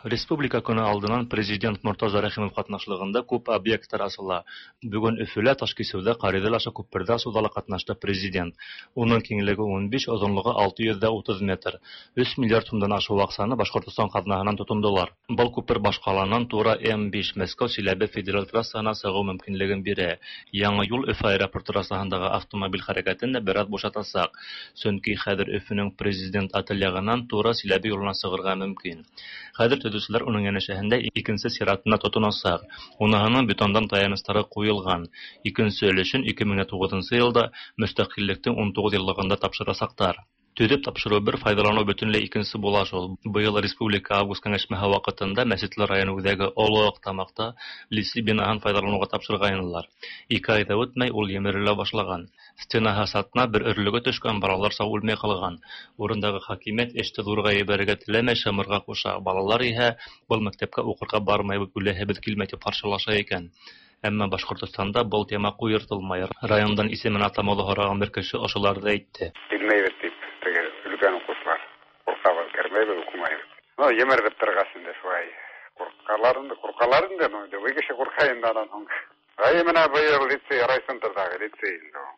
Республика көне алдынан президент Мортаза Рәхимов катнашлыгында күп объектлар ачыла. Бүген Өфөлә Ташкисүдә Каридель аша күпердә ачуда ла катнашты президент. Уның киңлеге 15, озынлыгы 630 метр. 3 миллиард сумдан ашык акчаны Башкортостан казнаһынан тотындылар. Был күпер башкаланан тура М5 Мәскәү Чиләбе федераль трассасына чыгу мөмкинлеген бирә. Яңа юл Өфө аэропорты трассасындагы автомобиль хәрәкәтен дә бераз бушатачак. Чөнки хәзер Өфөнең президент отель ягыннан тура Чиләбе юлына чыгарга мөмкин. Хәзер төзүчеләр уның янәшәһендә икенче сиратына тотыначак. Уныһының бетондан таянычлары куелган. Икенче өлешен 2009 елда мөстәкыйльлектең 19 еллыгында тапшырачаклар. Төзеп тапшыру бер, файдалану бөтенләй икенче була шул. Быел республика август киңәшмәһе вакытында Мәчетле районы үҙәге Оло Аҡтамаҡта лицей бинаһын файҙаланыуға тапшырғайнылар. 2 ай ҙа үтмәй ул емерелә башлаған. Стенаһы сатна бер өрлөгө төшкән, балалар сау үлмәй ҡалған. Урындағы хакимиәт эште ҙурға ебәрергә теләмәй, шымырға ҡуша. Балалар иһә был мәктәпкә уҡырға бармайбыҙ, үләһебеҙ килмәй тип ҡаршылаша икән. Әммә Башҡортостанда был тема ҡуйыртылмай. Райондан исемен атамауҙы һораған бер кеше ошоларҙы әйтте. Белмәйбеҙ тип, теге өлкән уҡыусылар ҡурҡабыҙ, кермәйбеҙ, уҡымайбыҙ. Ну, емерҙеп торғас инде шулай. Ҡурҡалар инде, ҡурҡалар инде, ну, любой кеше ҡурҡа инде анан һуң. Ай, менә быйыл лицей, райцентрҙағы лицей инде ул.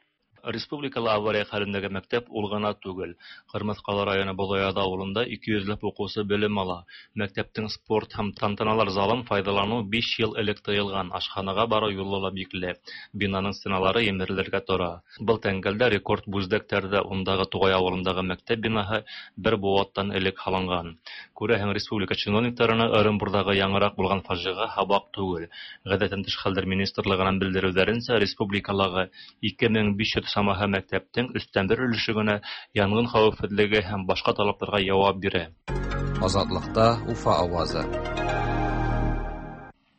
Республикала авария хәлендәге мәктәп ул ғына түгел. Ҡырмыҫҡалы районы Боҙояҙ ауылында 200 ләп уҡыусы белем ала. Мәктәптең спорт һәм тантаналар залын файҙаланыу 5 йыл элек тыйылған. Ашханаға барыу юлы ла бикле. Бинаның стеналары емерелергә тора. Был тәңгәлдә рекорд бүздәктәрҙә ундағы Туғай ауылындағы мәктәп бинаһы бер быуаттан элек һалынған. Күрәһең, республика чиновниктарына Ырымбурҙағы яңыраҡ булған фажиға һабаҡ түгел. Ғәҙәттән тыш хәлдәр министрлығынан белдереүҙәренсә, республикалағы 2500 самаһы мәктәптең 1/3 өлөшө генә янғын хәүефһеҙлеге һәм башҡа талаптарға яуап бирә. Азатлыҡта Уфа ауазы.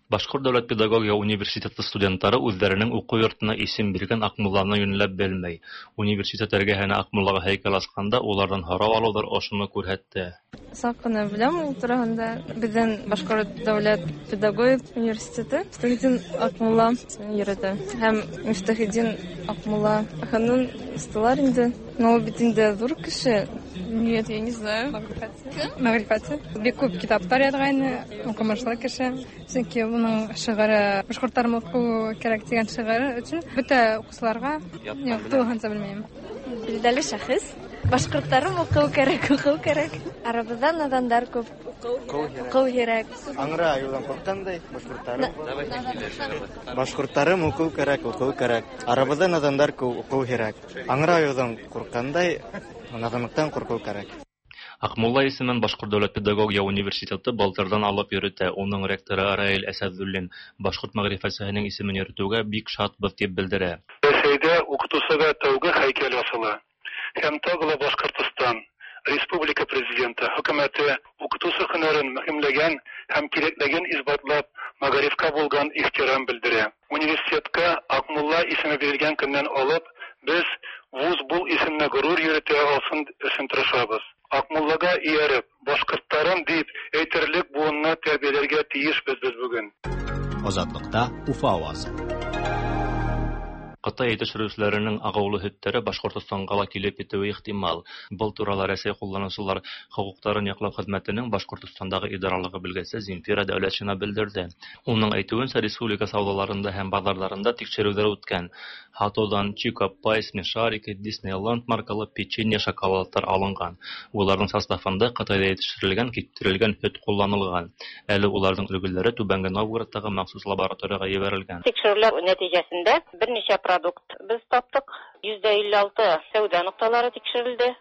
Башҡорт дәүләт педагогия университеты студенттары үҙҙәренең уҡыу йортона исем биргән Аҡмулланы йүнләп белмәй. Университет эргәһенә Аҡмуллаға һәйкәл асҡанда уларҙан һорау алыуҙар ошоно күрһәтте. Саҡ ҡына беләм ул тураһында. Беҙҙең Башҡорт дәүләт педагогик университеты Мифтахетдин Аҡмулла йөрөтә. Һәм Мифтахетдин Аҡмулла ханым усталар инде. Но ул бит инде ҙур кеше. Нет, я не знаю. Мәғрифәтсе. Бик күп китаптар яҙғайны, уҡымышлы кеше. Сөнки уның шиғыры башҡорттар уҡыу кәрәк тигән шиғыры өсөн бөтә уҡыусыларға юҡ, тулыһынса белмәйем. Билдәле шәхес. Башҡорттарым уҡыу кәрәк, уҡыу кәрәк. Арабыҙҙа надандар күп. Уҡыу кәрәк. Аңра айыуҙан ҡурҡҡандай, башҡорттарым уҡыу кәрәк, уҡыу кәрәк. Арабыҙҙа надандар күп, уҡыу кәрәк. Аңра айыуҙан ҡурҡҡандай, наданлыҡтан ҡурҡыу кәрәк. Аҡмулла исемен Башҡорт дәүләт педагогия университеты былтырҙан алып йөрөтә. Уның ректоры Раил Әсәҙуллин башҡорт мәғрифәтсеһенең исемен йөрөтөүгә бик шатбыҙ тип белдерә. Рәсәйҙә уҡытыусыға тәүге һәйкәл асыла. Һәм тағы ла Башҡортостан Республика президенты хөкүмәте уҡытыусы һөнәрен мөһимләгән һәм кирәклеген исбатлап мәғарифҡа булған ихтирам белдерә. Университетҡа Аҡмулла исеме бирелгән көннән алып беҙ вуз был исемне ғорур йөрөтә алсын өсөн тырышабыҙ. Аҡмуллаға эйәреп, башҡорттарым тип әйтерлек быуынны тәрбиәләргә тейешбеҙ беҙ бөгөн. Азатлыҡта Уфа ауазы. Кытай җитештерүчеләренең агулы һөттәре Башкортостанга ла килеп етүе ихтимал. Был турала Рәсәй кулланучылар хокукларын яклау хезмәтенең Башкортостандагы идаралыгы белгесе Земфира Дәүләтшина белдерде. Уның әйтүенсә, республика сауҙаларында һәм баҙарҙарында тикшереүҙәр үткән. Һатыуҙан Чико Пай, Смешарики, Диснейленд маркалы печенье, шоколадтар алынған. Уларҙың составында Ҡытайҙа етештерелгән киптерелгән һөт ҡулланылған. Әле уларҙың өлгөләре Түбәнге Новгородтағы махсус лабораторияға ебәрелгән. Тикшерүләр нәтиҗәсендә берничә продукт без таптык. 156 сәүдә нокталары тикшерелде.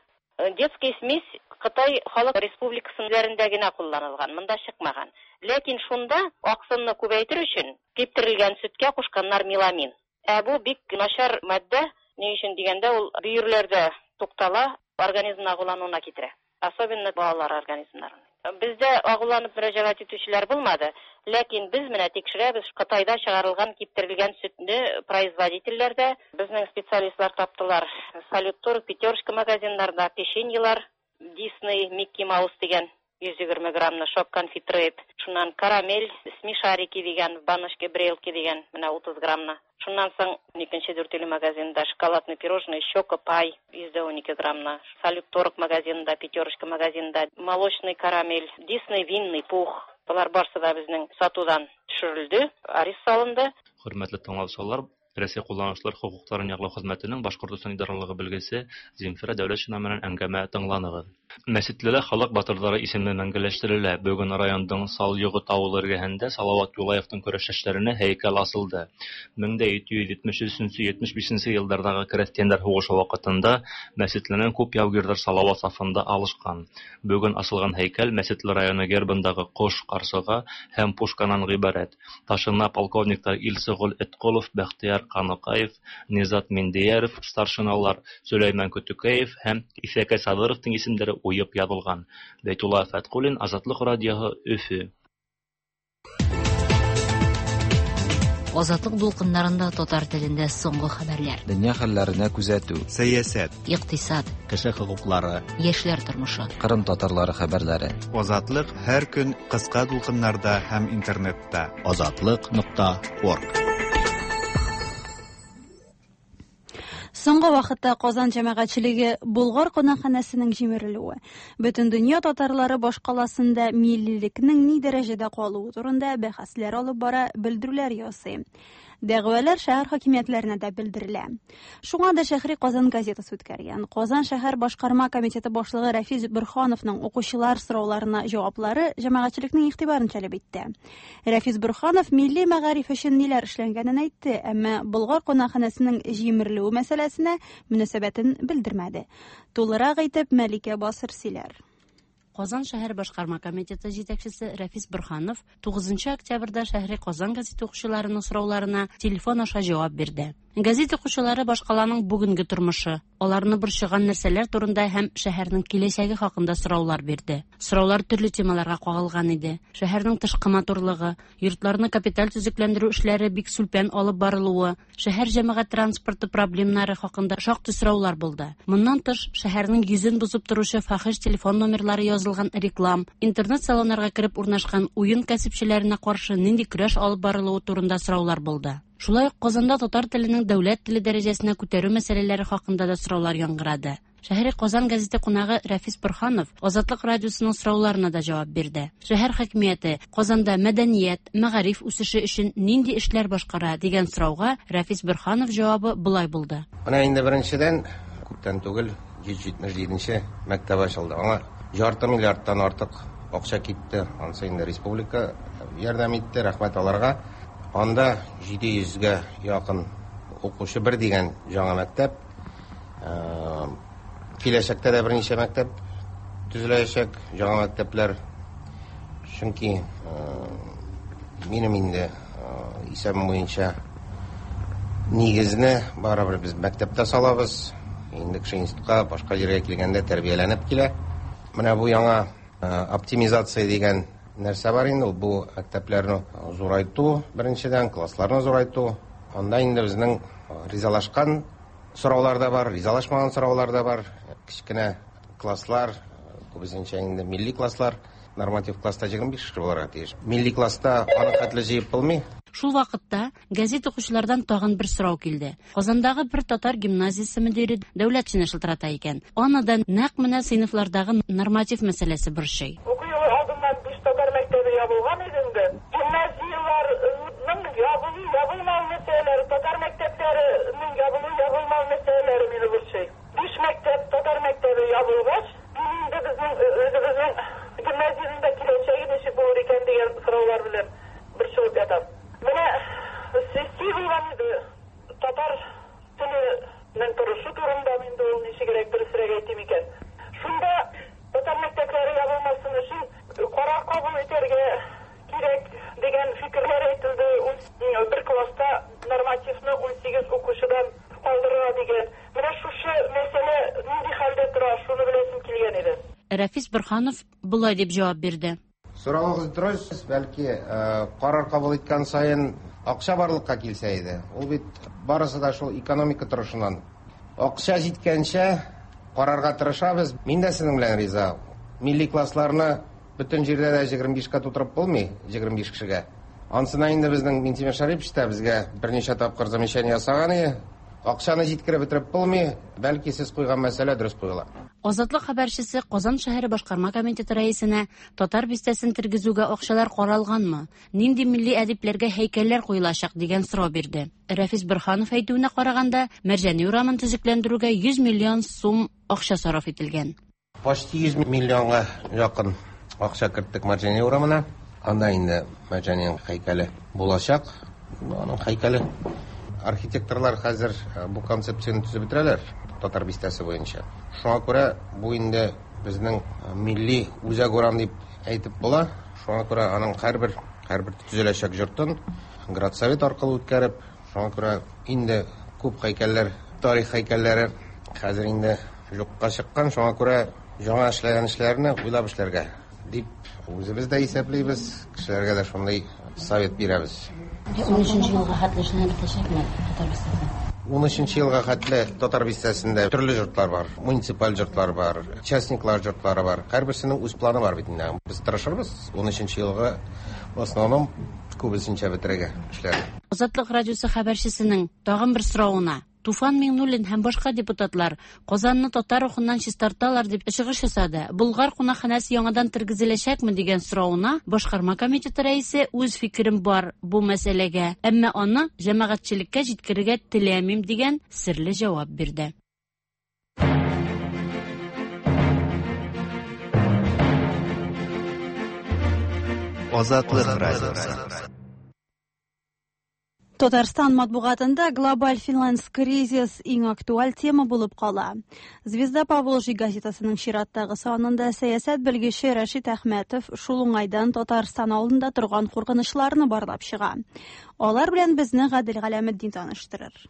Детский смесь Кытай Халык Республикасында генә кулланылган, монда чыкмаган. Ләкин шунда аксымны күбәйтер өчен киптерелгән сөткә кушканнар меламин. Ә бу бик начар матдә, ни өчен дигәндә, ул бөерләрдә туктала, организмны агулануына китерә. Особенно балалар организмнарын. Бездә агуланып мөрәҗәгать итүчеләр булмады, ләкин без менә тикшерәбез Кытайда чыгарылган киптерелгән сөтне производительләрдә безнең специалистлар таптылар. Салют-Торг, Пятерочка магазиннарында печеньелар, Дисней, Микки Маус дигән 120 граммны шок конфитрейт, шуннан карамель, смешарики дигән, баночки, брелки дигән, менә 30 граммны. Шуннан соң икенче Дүртөйле магазинында шоколадный пирожное, щека пай 112 граммны. Салют-Торг магазинында, Пятерочка магазинында молочный карамель, Дисней винный пух. Болар барысы да безнең сатудан төшерелде, арест салынды. Хөрмәтле тыңлаучылар, Рәсәй кулланучылар хокукларын яклау хезмәтенең Башкортостан идаралыгы белгесе Земфира Дәүләтшина менән әңгәмә тыңланыгыз. Мәсетлелә халык батырлары исеме мәңгеләштерелә. Бүген районның Салйогыт авылы эргәһендә Салават Юлаевтың көрәштәшләренә һәйкәл асылды. 1773-75 еллардагы крестьяннар һугышы вакытында Мәсетленең күп яугирләр Салават сафында алышкан. Бүген асылган һәйкәл Мәсетле районы гербындагы кош, карсыга һәм пушканан гыйбарәт. Ташына полковниклар Илсыгол Этколов, Бәхтияр Каныкаев, Низат Миндияров, старшиналар Сөләймән Көтөкәев һәм Исәкәй Садыровтың исемдәре уйып язылган. Бәйтулла Фәткуллин, Азатлык радиоһы, Өфө. Азатлык дулкыннарында татар телендә соңгы хәбәрләр. Дөнья хәлләренә күзәтү. Сәясәт. Икътисад. Кеше хокуклары. Яшьләр тормышы. Кырым татарлары хәбәрләре. Азатлык һәр көн кыска дулкыннарда һәм интернетта. Азатлык.орг. Соңгы вакытта Казан җәмәгатьчелеге Болгар кунакханәсенең җимерелүе, бөтен дөнья татарлары башкаласында миллилекнең ни дәрәҗәдә калуы турында бәхәсләр алып бара, белдерүләр ясый. Дәгъвалар шәһәр хакимиятләренә дә белдерелә. Шуңа да Шәһри Казан газетасы үткәргән Казан шәһәр башкарма комитеты башлыгы Рәфис Борһановның укучылар сорауларына җаваплары җәмәгатьчелекнең игътибарын җәлеп итте. Рәфис Борһанов милли мәгариф өчен ниләр эшләнгәнен әйтте, әмма Болгар кунакханәсенең җимерелүе мәсьәләсенә мөнәсәбәтен белдермәде. Тулырак итеп Мәликә Басыр сөйләр. Казан шәһәр башкарма комитеты җитәкчесе Рәфис Борһанов 9 октябрьдә Шәһри Казан газеты укучыларының сорауларына телефон аша җавап бирде. Газет укучылары башкаланың бүгенге тормышы, аларны борчыган нәрсәләр турында һәм шәһәрнең киләчәге хакында сораулар бирде. Сораулар төрле темаларга кагылган иде. Шәһәрнең тышкы матурлыгы, йортларны капиталь төзекләндерү эшләре бик сүлпән алып барылуы, шәһәр җәмәгать транспорты проблемнары хакында шактый сораулар булды. Моннан тыш, шәһәрнең йөзен бозып торучы фахиш телефон номерлары язылган реклам, интернет-салоннарга кереп урнашкан уен кәсепчеләренә каршы нинди көрәш алып барылуы турында сораулар булды. Шулай ук Казанда татар теленең дәүләт теле дәрәҗәсенә күтәрү мәсьәләләре хакында да сораулар яңгырады. Шәһри Казан газеты кунагы Рәфис Борһанов Азатлык радиосының сорауларына да җавап бирде. Шәһәр хакимияте Казанда мәдәният, мәгариф үсеше өчен нинди эшләр башкара дигән сорауга Рәфис Борһанов җавабы болай булды. Менә инде беренчедән күптән түгел 177 мәктәп ачылды. Аңа ярты миллиардтан артык акча китте. Ансы инде республика ярдәм итте, рәхмәт аларга. Анда 700гә якын укучы бер дигән яңа мәктәп. Киләчәктә дә берничә мәктәп төзеләчәк, яңа мәктәпләр. Чөнки минем инде исәбем буенча нигезне барыбер без мәктәптә салабыз. Инде кеше институтка, башка җиргә килгәндә тәрбияләнеп килә. Менә бу яңа оптимизация дигән нәрсә бар инде, ул бу мәктәпләрне зурайту, беренчедән, классларны зурайту. Анда инде безнең ризалашкан сораулар да бар, ризалашмаган сораулар да бар. Кечкенә класслар, күбесенчә инде милли класслар, норматив класста 25 кеше булырга тиеш. Милли класста аны хәтле җыеп булмый. Шул вакытта газета укучылардан тагын бер сорау килде. Казандагы бер татар гимназиясе мөдире Дәүләтшина шылтырата икән. Аны да нәкъ менә сыйныфлардагы норматив мәсьәләсе борчый. Уку елы алдыннан биш татар мәктәбе ябылган иде инде. Гимназияләрнең ябылу-ябылмау мәсьәләләре, татар мәктәпләренең ябылу-ябылмау мәсьәләләре мине борчый. Биш мәктәп, татар мәктәбе ябылгач, мин инде безнең үзебезнең гимназиянең дә киләчәге ничек булыр икән дигән сораулар белән борчылып ятам. Менә сессия булган иде, татар теленең торышы турында инде ул ничегрәк дөресрәк әйтим икән. Шунда татар мәктәпләре ябылмасын өчен карар кабул итәргә кирәк дигән фикерләр әйтелде. Бер класста нормативны 18 укучыдан калдырырга дигән. Менә шушы мәсьәлә нинди хәлдә тора, шуны беләсем килгән иде. Рәфис Борһанов болай дип җавап бирде. Соравыгыз дөрес, бәлки карар кабул иткән саен акча барлыкка килсә иде. Ул бит барысы да шул экономика торышыннан. Акча җиткәнчә карарга тырышабыз. Мин дә сезнең белән риза. Милли классларны бөтен җирдә дә 25-кә тутырып булмый, 25 кешегә. Ансына инде безнең Минтимер Шәрипович та безгә берничә тапкыр замечание ясаган иде. Акчаны җиткереп бетереп булмый, бәлки сез куйган мәсьәлә дөрес куела. Азатлык хәбәрчесе Казан шәһәре башкарма комитеты рәисенә татар бистәсен тергезүгә акчалар каралганмы, нинди милли әдипләргә һәйкәлләр куелачак дигән сорау бирде. Рәфис Борһанов әйтүенә караганда, Мәрҗани урамын төзекләндерүгә 100 миллион сум акча сарыф ителгән. Почти 100 миллионга якын акча керттек Мәрҗани урамына. Анда инде Мәрҗаниның һәйкәле булачак. Аның һәйкәле. Архитекторлар хәзер бу концепцияне төзеп бетерәләр татар бистәсе буенча. Шуңа күрә бу инде безнең милли үзәк урам дип әйтеп була. Шуңа күрә аның һәрбер төзеләчәк йортын градсовет аркылы үткәреп, шуңа күрә инде күп һәйкәлләр, тарих һәйкәлләре хәзер инде юкка чыккан. Шуңа күрә яңа эшләгән эшләрне уйлап эшләргә дип үзебез дә исәплибез, кешеләргә дә шундый совет бирәбез. 13 елга хәтле эшләнеп бетәчәкме татар бистәсе? 13 елга хәтле татар бистәсендә төрле йортлар бар, муниципаль йортлар бар, частниклар йортлары бар. Һәрберсенең үз планы бар бит инде. Без тырышырбыз 13 елга в основном күбесенчә бетерергә эшләрне. Азатлык радиосы хәбәрчесенең тагын бер соравына Туфан Миңнуллин һәм башка депутатлар Казанны татар рухыннан чистарталар дип чыгыш ясады. Болгар кунакханәсе яңадан тергезеләчәкме дигән соравына башкарма комитеты рәисе үз фикерем бар бу мәсьәләгә, әмма аны җәмәгатьчелеккә җиткерергә теләмим дигән серле җавап бирде. Азатлык радиосы. Татарстан матбугатында глобаль финанс кризис иң актуаль тема булып кала. Звезда Поволжья газетасының чираттагы санында сәясәт белгече Рәшит Әхмәтов шул уңайдан Татарстан алдында торган куркынычларны барлап чыга. Алар белән безне Гадел Галәметдин таныштырыр.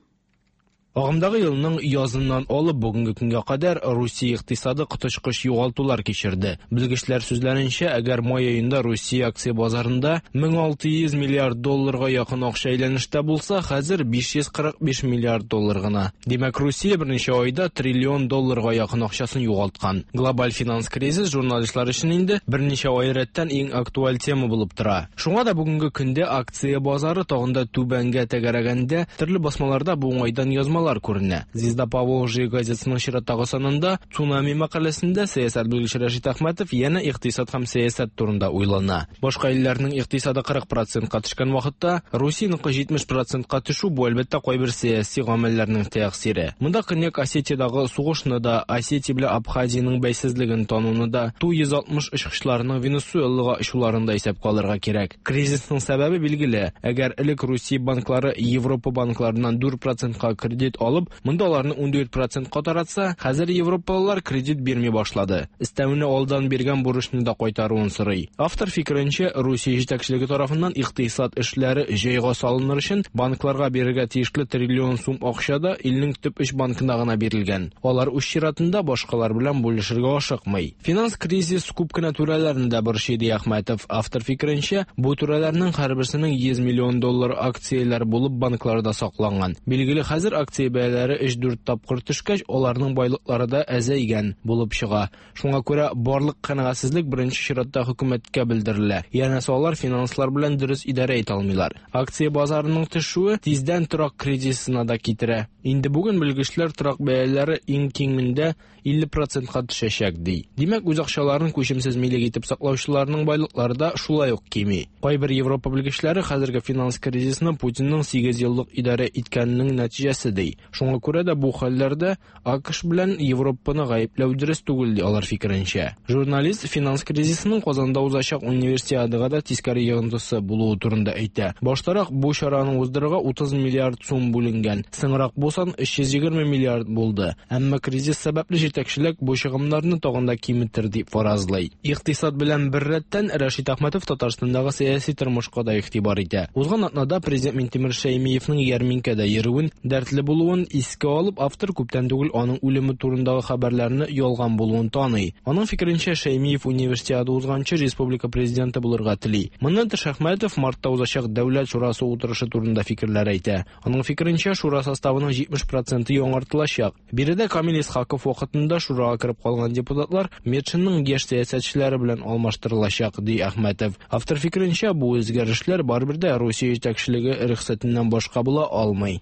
Агымдагы елның языннан алып бүгенге көнгә кадәр Русия икътисады коточкыч югалтулар кичерде. Белгечләр сүзләренчә, әгәр май аенда Русия акция базарында 1600 миллиард долларга якын акча әйләнештә булса, хәзер 545 миллиард доллар гына. Димәк, Русия берничә айда триллион долларга якын акчасын югалткан. Глобаль финанс кризис журналистлар өчен инде берничә ай рәттән иң актуаль тема булып тора. Шуңа да бүгенге көндә акция базары тагын да түбәнгә тәгәрәгәндә төрле басмаларда бу уңайдан язмалар күренә. Звезда Поволжья газетасының чираттагы санында цунами мәкаләсендә сәясәт белгече Рәшит Әхмәтов янә икътисад һәм сәясәт турында уйлана. Башка илләрнең икътисады 40%-ка төшкән вакытта, Русиянеке 70%-ка төшү бу әлбәттә кайбер сәяси гамәлләрнең тәэсире. Монда Көньяк Осетиядагы сугышны да, Осетия белән Абхазиянең бәйсезлеген тануны да, Ту-160 очкычларының Венесуэлага очуларын да исәпкә алырга кирәк. Кризисның сәбәбе билгеле. Әгәр элек Русия банклары Европа банкларыннан 4%-ка кредит алып, монда аларны 14%-ка таратса, хәзер европалылар кредит бирми башлады. Өстәвенә алдан биргән бурычны да кайтаруын сорый. Автор фикеренчә, Русия җитәкчелеге тарафыннан икътисад эшләре җайга салыныр өчен банкларга бирергә тиешле триллион сум акча да илнең төп өч банкына гына бирелгән. Алар үз чиратында башкалар белән бүлешергә ашыкмый. Финанс кризис күп кенә түрәләрне дә борчый, ди Әхмәтов. Автор фикеренчә, бу түрәләрнең һәрберсенең 100 миллион доллар акцияләр булып банкларда сакланган. Билгеле, хәзер акция акция бәяләре 3-4 тапкыр төшкәч, аларның байлыклары да әзәйгән булып чыга. Шуңа күрә барлык канәгатьсезлек беренче чиратта хөкүмәткә белдерелә. Янәсе алар финанслар белән дөрес идарә итә алмыйлар. Акция базарының төшүе тиздән торак кризисына да китерә. Инде бүген белгечләр торак бәяләре иң кимендә 50 процентка төшәчәк, ди. Димәк, үз акчаларын күчемсез милек итеп саклаучыларның байлыклары да шулай ук кими. Кайбер Европа белгечләре хәзерге финанс кризисны Путинның 8 еллык идарә иткәненең нәтиҗәсе ди. Шуңа күрә дә бу хәлләрдә АКШ белән Европаны гаепләү дөрес түгел, ди алар фикеренчә. Журналист финанс кризисының Казанда узачак универсиадага да тискәре йогынтысы булуы турында әйтә. Баштарак бу чараны уздырырга 30 миллиард сум бүленгән. Соңрак бу сан 320 миллиард булды. Әмма кризис сәбәпле җитәкчелек бу чыгымнарны тагын да киметер дип фаразлый. Икътисад белән беррәттән Рәшит Әхмәтов Татарстандагы сәяси тормышка да игътибар итә. Узган атнада президент Минтимер Шәймиевның ярминкәдә йөрүен, дәртле булуын искә алып, автор күптән түгел аның үлеме турындагы хәбәрләрне ялган булуын таный. Аның фикеренчә, Шәймиев универсиада узганчы республика президенты булырга тели. Моннан тыш Әхмәтов мартта узачак Дәүләт шурасы утырышы турында фикерләр әйтә. Аның фикеренчә, шура составының 70 проценты яңартылачак. Биредә Камил Исхаков вакытында шурага кереп калган депутатлар Метшинның яшь сәясәтчеләре белән алмаштырылачак, ди Әхмәтов. Автор фикеренчә, бу үзгәрешләр барыбер дә Русия җитәкчелеге рөхсәтеннән башка була алмый.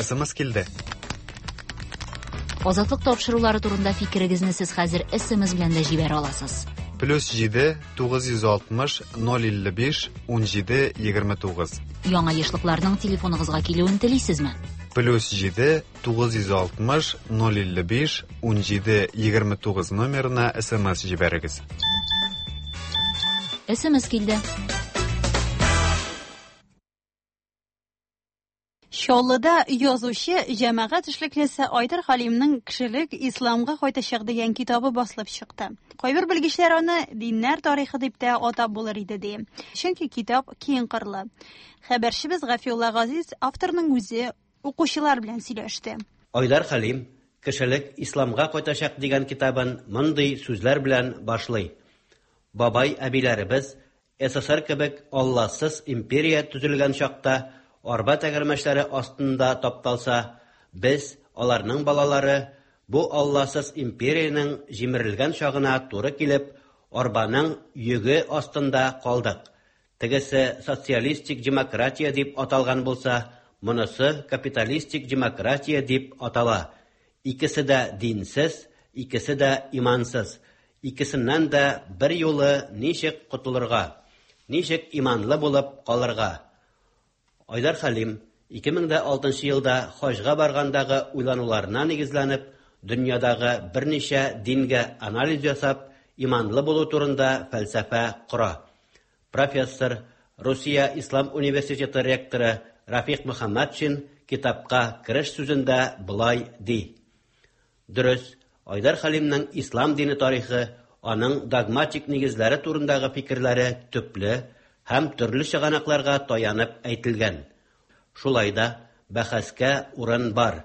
СМС килде. Азатлык тапшырулары турында фикерегезне сез хәзер СМС белән дә җибәрә аласыз. Плюс 7 960 055 17 29. Яңа ешлыкларның телефоныгызга килүен телисезме? Плюс 7 960 055 17 29 номерына СМС җибәрегез. СМС килде. Чаллыда язучы, җәмәгать эшлеклесе Айдар Хәлимнең Кешелек исламга кайтачак дигән китабы басылып чыкты. Кайбер белгечләр аны диннәр тарихы дип тә атап булыр иде ди. Чөнки китап киң кырлы. Хәбәрчебез Гафиулла Газиз авторның үзе укучылар белән сөйләште. Айдар Хәлим Кешелек исламга кайтачак дигән китабын мондый сүзләр белән башлый. Бабай әбиләребез СССР кебек Алласыз империя төзелгән чакта арба тәгәрмәчләре астында тапталса, без, аларның балалары, бу Алласыз империянең җимерелгән чагына туры килеп, арбаның йөге астында калдык. Тегесе социалистик демократия дип аталган булса, монысы капиталистик демократия дип атала. Икесе дә динсез, икесе дә имансыз. Икесеннән дә берьюлы ничек котылырга? Ничек иманлы булып калырга? Айдар Хәлим 2006 елда хаҗга баргандагы уйлануларына нигезләнеп, дөньядагы берничә дингә анализ ясап, иманлы булу турында фәлсәфә кора. Профессор, Русия Ислам университеты ректоры Рафик Мөхәммәтшин китапка кереш сүзендә болай ди: Дөрес, Айдар Хәлимнең ислам дине тарихы, аның догматик нигезләре турындагы фикерләре төпле һәм төрле чыганакларга таянып әйтелгән. Шулай да бәхәскә урын бар.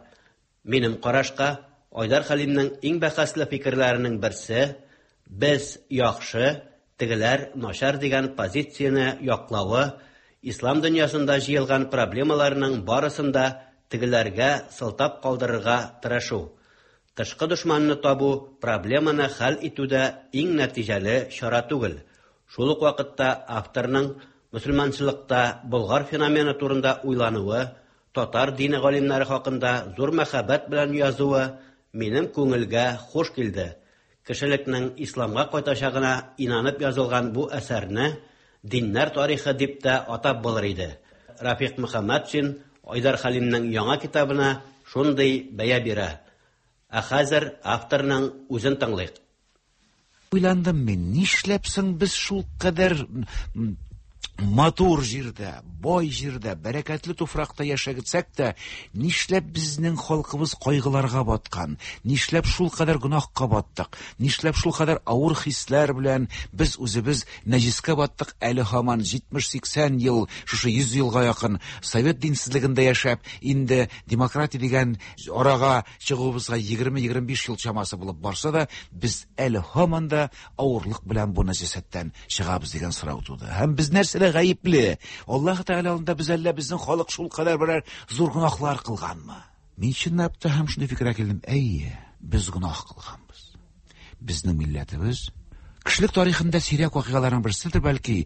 Минем карашка, Айдар Хәлимнең иң бәхәсле фикерләренең берсе, без яхшы, тегеләр начар дигән позицияне яклавы, ислам дөньясында җыелган проблемаларның барысын да тегеләргә сылтап калдырырга тырышу. Тышкы дошманны табу проблеманы хәл итүдә иң нәтиҗәле чара түгел. Шул ук вакытта авторның мөселманчылыкта Болгар феномены турында уйлануы, татар дине галимнәре хакында зур мәхәббәт белән язуы минем күңелгә хуш килде. Кешелекнең исламга кайтачагына инанып язылган бу әсәрне диннәр тарихы дип тә атап булыр иде. Рафик Мөхәммәтшин Айдар Хәлимнең яңа китабына шундый бәя бирә. Ә хәзер авторның үзен тыңлыйк. Уйландым мин, нишләп соң без шул кадәр Матур җирдә, бай җирдә, бәрәкәтле туфракта яшәгетсәк тә, нишләп безнең халкыбыз кайгыларга баткан, нишләп шулкадәр гөнаһка баттык, нишләп шулкадәр авыр хисләр белән без үзебез нәҗескә баттык, әле һаман 70-80 ел, шушы 100 елга якын совет динсезлегендә яшәп, инде демократия дигән арага чыгуыбызга 20-25 ел чамасы булып барса да, без әле һаман да авырлык белән бу нәҗасәттән чыгабыз дигән сорау туды. Һәм без нәрсәдә гаепле? Аллаһ Тәгалә алдында без әллә безнең халык шулкадәр берәр зур гөнаһлар кылганмы? Мин чынлап та һәм шундый фикергә килдем. Әйе, без гөнаһ кылганбыз. Безнең милләтебез кешелек тарихында сирәк вакыйгаларның берседер бәлки.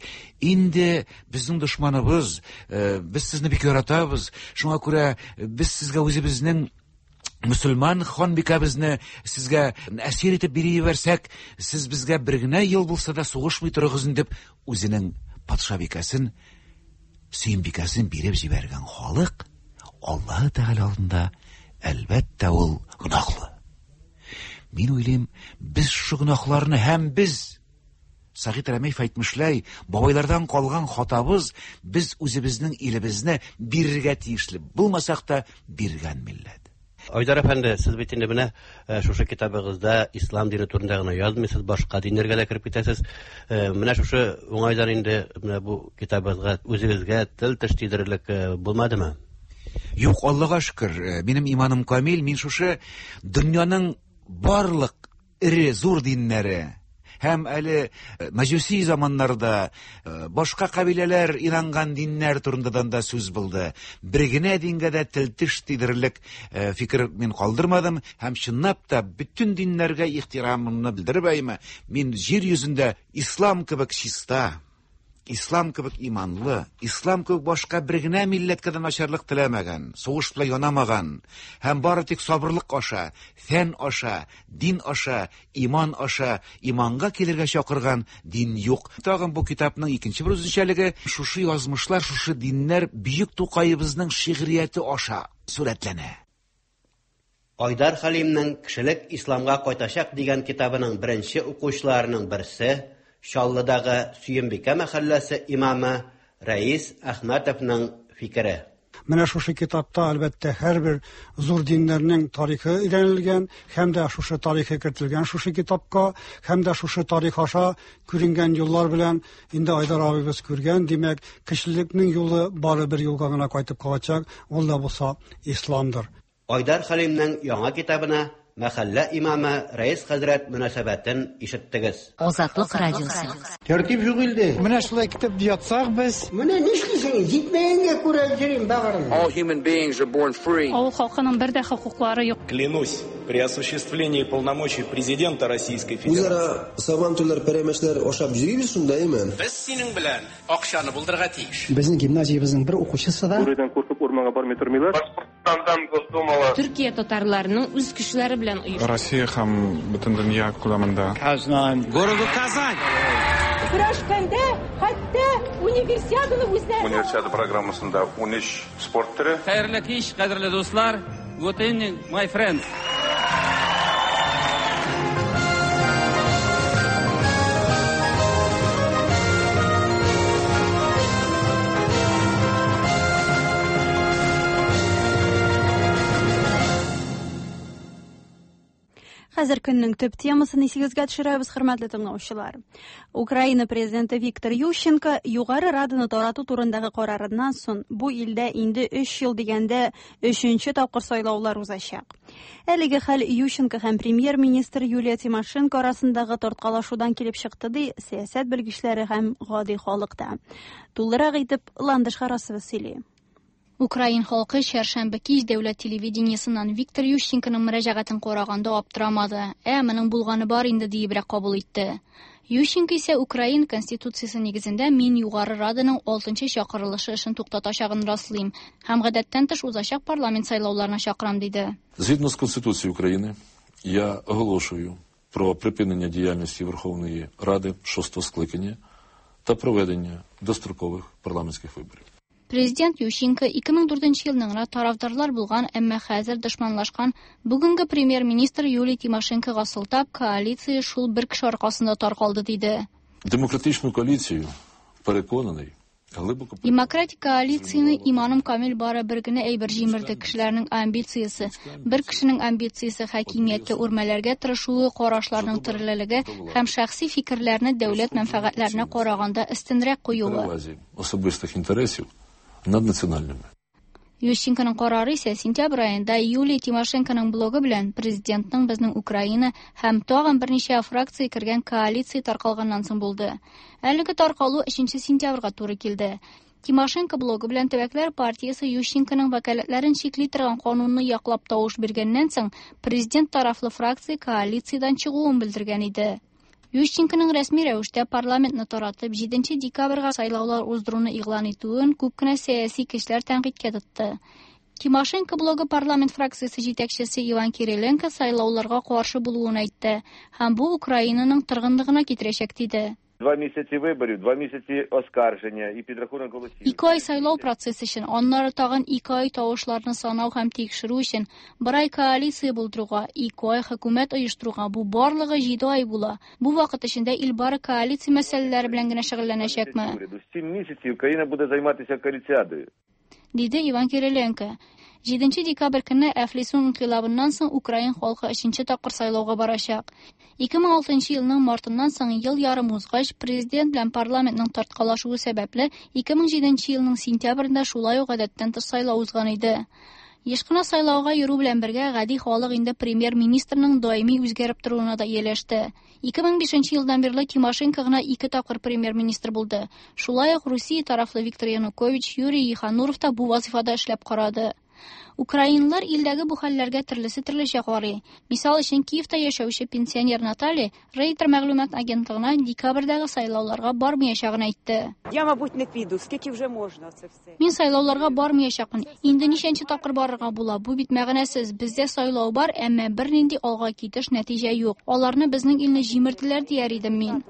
Инде безнең дошманыбыз, э, без сезне бик яратабыз, шуңа күрә без сезгә үзебезнең мөселман ханбикәбезне сезгә әсир итеп биреп җибәрсәк, сез безгә бер генә ел булса да сугышмый торыгыз дип, үзенең патшабикәсен, сөембикәсен биреп җибәргән халык Аллаһы Тәгалә алдында әлбәттә ул гөнаһлы. Мин уйлыйм, без шушы гөнаһларны һәм без Сәгыйть Рәмиев әйтмешләй, бабайлардан калган хатабыз, без үзебезнең илебезне бирергә тиешле булмасак та биргән милләт. Айдар әфәнде, сез бит инде менә э, шушы китабыгызда ислам дине турында гына язмыйсыз, башка диннәргә дә кереп китәсез. Э, менә шушы уңайдан инде менә бу китабыгызга үзегезгә тел-теш тидерерлек э, булмадымы? Юк, Аллага шөкер, минем иманым камил, мин шушы дөньяның барлык эре зур диннәре һәм әле э, мәҗүси заманнарда э, башка кабиләләр инанган диннәр турындадан да сүз булды. Бер генә дингә дә тел-теш тидерерлек э, фикер мин калдырмадым һәм чынлап та бөтен диннәргә ихтирамымны белдереп әйме, мин җир йөзендә ислам кебек чиста, Ислам кебек иманлы, ислам кебек башка бер генә милләткә дә начарлык теләмәгән, сугыш белән янамаган һәм бары тик сабырлык аша, фән аша, дин аша, иман аша иманга килергә чакырган дин юк. Тагын бу китапның икенче бер үзенчәлеге, шушы язмышлар, шушы диннәр бөек Тукаебызның шигърияте аша сурәтләнә. Айдар Хәлимнең Кешелек исламга кайтачак дигән китабының беренче укучыларының берсе, Чаллыдагы Сөембикә мәхәлләсе имамы Рәис Әхмәтовның фикере. Менә шушы китапта, әлбәттә, һәрбер зур диннәрнең тарихы өйрәнелгән һәм дә шушы тарихы кертелгән шушы китапка, һәм дә шушы тарих аша күренгән юллар белән инде Айдар абыйбыз күргән, димәк, кешелекнең юлы бары бер юлга гына кайтып калачак, ул да булса исламдыр. Айдар Хәлимнең яңа китабына мәхәллә имамы Рәис хәзрәт мөнәсәбәтен ишеттегез. Азатлык радиосы. Тәртип юк илдә. Менә шулай китеп ятсак без. Менә нишлисең, җитмәгәнгә күрә йөрим, бәгырем. All human beings are born free. Авыл халкының бер дә хокуклары юк. Клянусь при осуществлении полномочий президента Российской Федерации. Үзара сабантуйлар, пәрәмәчләр ашап йөрибез шунда, әйме? Без синең белән акчаны булдырырга тиеш. Безнең гимназиябезнең бер укучысы да. Бүредән куркып урманга бармый тормыйлар. Башкортстандан Госдумала. Төркия татарларының үз көчләре белән оешты. Россия һәм бөтен дөнья күләмендә. Казань. Городу Казань. Көрәшкәндә хәтта универсиаданы үзләре. Универсиада программасында 13 спорт төре. Хәерле кич, кадерле дуслар. Good evening, my friends. Хәзер көннең төп темасын исегезгә төшерәбез, хөрмәтле тыңлаучылар. Украина президенты Виктор Ющенко Югары Раданы тарату турындагы карарыннан соң бу илдә инде 3 ел дигәндә өченче тапкыр сайлаулар узачак. Әлеге хәл Ющенко һәм премьер-министр Юлия Тимошенко арасындагы тарткалашудан килеп чыкты, ди сәясәт белгечләре һәм гади халык та. Тулырак итеп Ландыш Харасова сөйли. Украин халкы чәршәмбе кич дәүләт телевидениесеннән Виктор Ющенконың мөрәҗәгатен караганда аптырамады. Ә, моның булганы бар инде диебрәк кабул итте. Ющенко исә Украин конституциясе нигезендә мин Югары Раданың 6 чакырылышы эшен туктатачагын раслыйм һәм гадәттән тыш узачак парламент сайлауларына чакырам, диде. Згідно з Конституцією України, я оголошую про припинення діяльності Верховної Ради шостого скликання та проведення дострокових парламентських виборів. Президент Ющенко 2004 елның гына тарафдарлар булган, әмма хәзер дошманлашкан бүгенге премьер-министр Юлия Тимошенкога сылтап, коалиция шул бер кеше аркасында таркалды, диде. Демократичну коаліцію, переконаний, Демократик коалицияне иманым камил бары бер генә әйбер җимерде кешеләрнең амбициясе. Бер кешенең амбициясе хакимияткә үрмәләргә тырышуы, карашларның төрлелеге һәм шәхси фикерләрне дәүләт мәнфәгатьләренә караганда өстенрәк куюы. Особистых интересов над национальными. Ющенконың карары исә сентябрь аенда Юлия Тимошенконың блогы белән президентның Безнең Украина һәм тагын берничә фракция кергән коалиция таркалганнан соң булды. Әлеге таркалу 3 сентябрьгә туры килде. Тимошенко блогы белән төбәкләр партиясе Ющенконың вәкаләтләрен чикли торган канунны яклап тавыш биргәннән соң президент тарафлы фракция коалициядән чыгуын белдергән иде. Ющенконың рәсми рәвештә парламентны таратып 7 декабрьгә сайлаулар уздыруны игълан итүен күп кенә сәяси көчләр тәнкыйтькә тотты. Тимошенко блогы парламент фракциясе җитәкчесе Иван Кириленко сайлауларга каршы булуын әйтте һәм бу Украинаның торгынлыгына китерәчәк диде. 2 місяці виборів, 2 місяці оскарження і підрахунок голосів. 2 ай сайлау процессы өчен, аннары тагын 2 ай тавышларны санау һәм тикшерү өчен, 1 ай коалиция булдыруга, 2 ай хөкүмәт оештыруга, бу барлыгы 7 ай була. Бу вакыт эчендә ил бары коалиция мәсьәләләре белән генә шөгыльләнәчәкме? 7 місяців країна буде займатися коаліціадою. Диде Иван Кириленко. 7 декабрь көнне Әфлисун инкыйлабыннан соң Украин халкы 3 тапкыр сайлауга барачак. 2006 елның мартыннан соң ел ярым узгач, президент белән парламентның тарткалашуы сәбәпле 2007 елның сентябрендә шулай ук гадәттән тыш сайлау узган иде. Еш кына сайлауга йөрү белән бергә гади халык инде премьер-министрның даими үзгәреп торуына да ияләште. 2005 елдан бирле Тимошенко гына 2 тапкыр премьер-министр булды. Шулай ук Русия тарафлы Виктор Янукович, Юрий Ехануров та бу вазифада эшләп карады. Украинлар илдәге бу хәлләргә төрлесе төрлечә карый. Мисал өчен, Киевта яшәүче пенсионер Наталья Рейтер мәгълүмат агентлыгына декабрьдәге сайлауларга бармаячагын әйтте. Я, мабуть, не піду, скільки вже можна це все. Мин сайлауларга бармаячакмын. Инде ничәнче тапкыр барырга була? Бу бит мәгънәсез. Бездә сайлау бар, әмма бернинди алга китеш нәтиҗә юк. Аларны безнең илне җимерделәр дияр идем мин.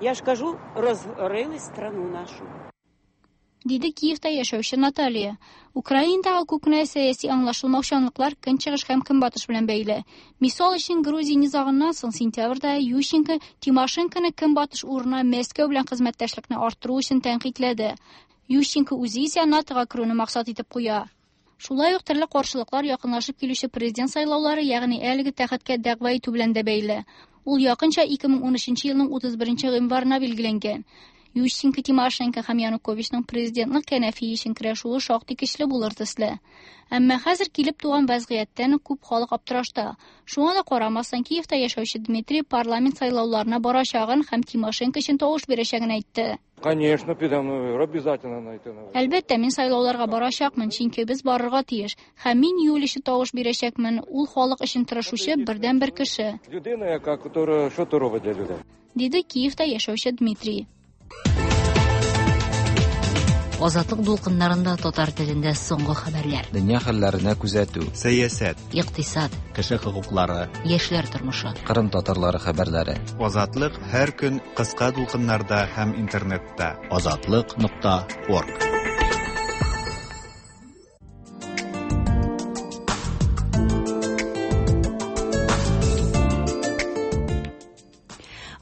Я ж кажу, розорили страну нашу. Диде Киевта яшәүче Наталья. Украинадагы күп кенә сәяси аңлашылмаучанлыклар көнчыгыш һәм көнбатыш белән бәйле. Мисал өчен, Грузия низагыннан соң сентябрьдә Ющенко Тимошенконы көнбатыш урынына Мәскәү белән хезмәттәшлекне арттыру өчен тәнкыйтьләде. Ющенко үзе исә НАТО-га керүне максат итеп куя. Шулай ук төрле каршылыклар якынлашып килүче президент сайлаулары, ягъни әлеге тәхеткә дәгъва итү белән дә бәйле. Ул якынча 2013 елның 31 гыйнварына билгеләнгән. Ющенко, Тимошенко һәм Януковичның президентлык кәнәфие өчен көрәшүе шактый көчле булыр төсле. Әмма хәзер килеп туган вазгыятьтән күп халык аптырашта. Шуңа да карамастан, Киевта яшәүче Дмитрий парламент сайлауларына барачагын һәм Тимошенко өчен тавыш бирәчәген әйтте. Конечно, підем, обязательно найти. Әлбәттә, мин сайлауларга барачакмын, чөнки без барырга тиеш. Һәм мин Юлия өчен тавыш бирәчәкмен. Ул халык өчен тырышучы бердәнбер кеше. Людина, яка, которая що то робить для людей. Диде Киевта яшәүче Дмитрий. Азатлык дулкыннарында татар телендә соңгы хәбәрләр. Дөнья хәлләренә күзәтү. Сәясәт. Икътисад. Кеше хокуклары. Яшьләр тормышы. Кырым татарлары хәбәрләре. Азатлык һәр көн кыска дулкыннарда һәм интернетта. Азатлык.org.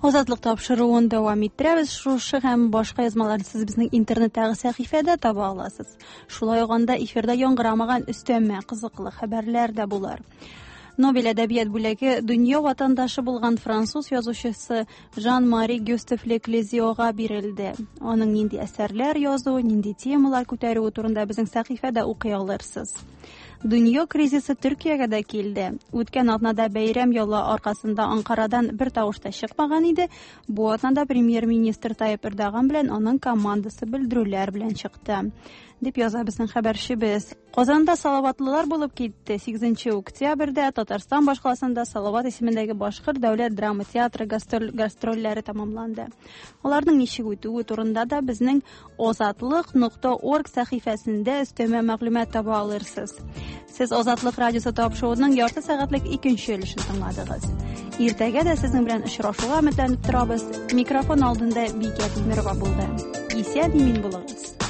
Азатлык тапшыруын дәвам иттерәбез. Шушы һәм башка язмаларны сез безнең интернеттагы сәхифәдә таба аласыз. Шулай ук анда эфирда яңгырамаган өстәмә кызыклы хәбәрләр дә булыр. Нобель әдәбият бүләге дөнья ватандашы булган француз язучысы Жан-Мари Гюстав Леклезиога бирелде. Аның нинди әсәрләр язуы, нинди темалар күтәрүе турында безнең сәхифәдә укый алырсыз. Дөнья кризисы Төркиягә дә килде. Үткән атнада бәйрәм ялы аркасында Анкарадан бер тавыш та чыкмаган иде. Бу атнада премьер-министр Тайып Эрдоган белән аның командасы белдерүләр белән чыкты, дип яза безнең хәбәрчебез. Казанда салаватлылар булып китте. 8 октябрьдә Татарстан башкаласында Салават исемендәге Башкорт дәүләт драма театры гастрольләре тәмамланды. Аларның ничек үтүе турында да безнең озатлык.org сәхифәсендә өстәмә мәгълүмат таба алырсыз. Сез Азатлык радиосы тапшыруының ярты сәгатьлек икенче өлешен тыңладыгыз. Иртәгә дә сезнең белән очрашуга өметләнеп торабыз. Микрофон алдында Бикә Тимирова булды. Исән-имин булыгыз.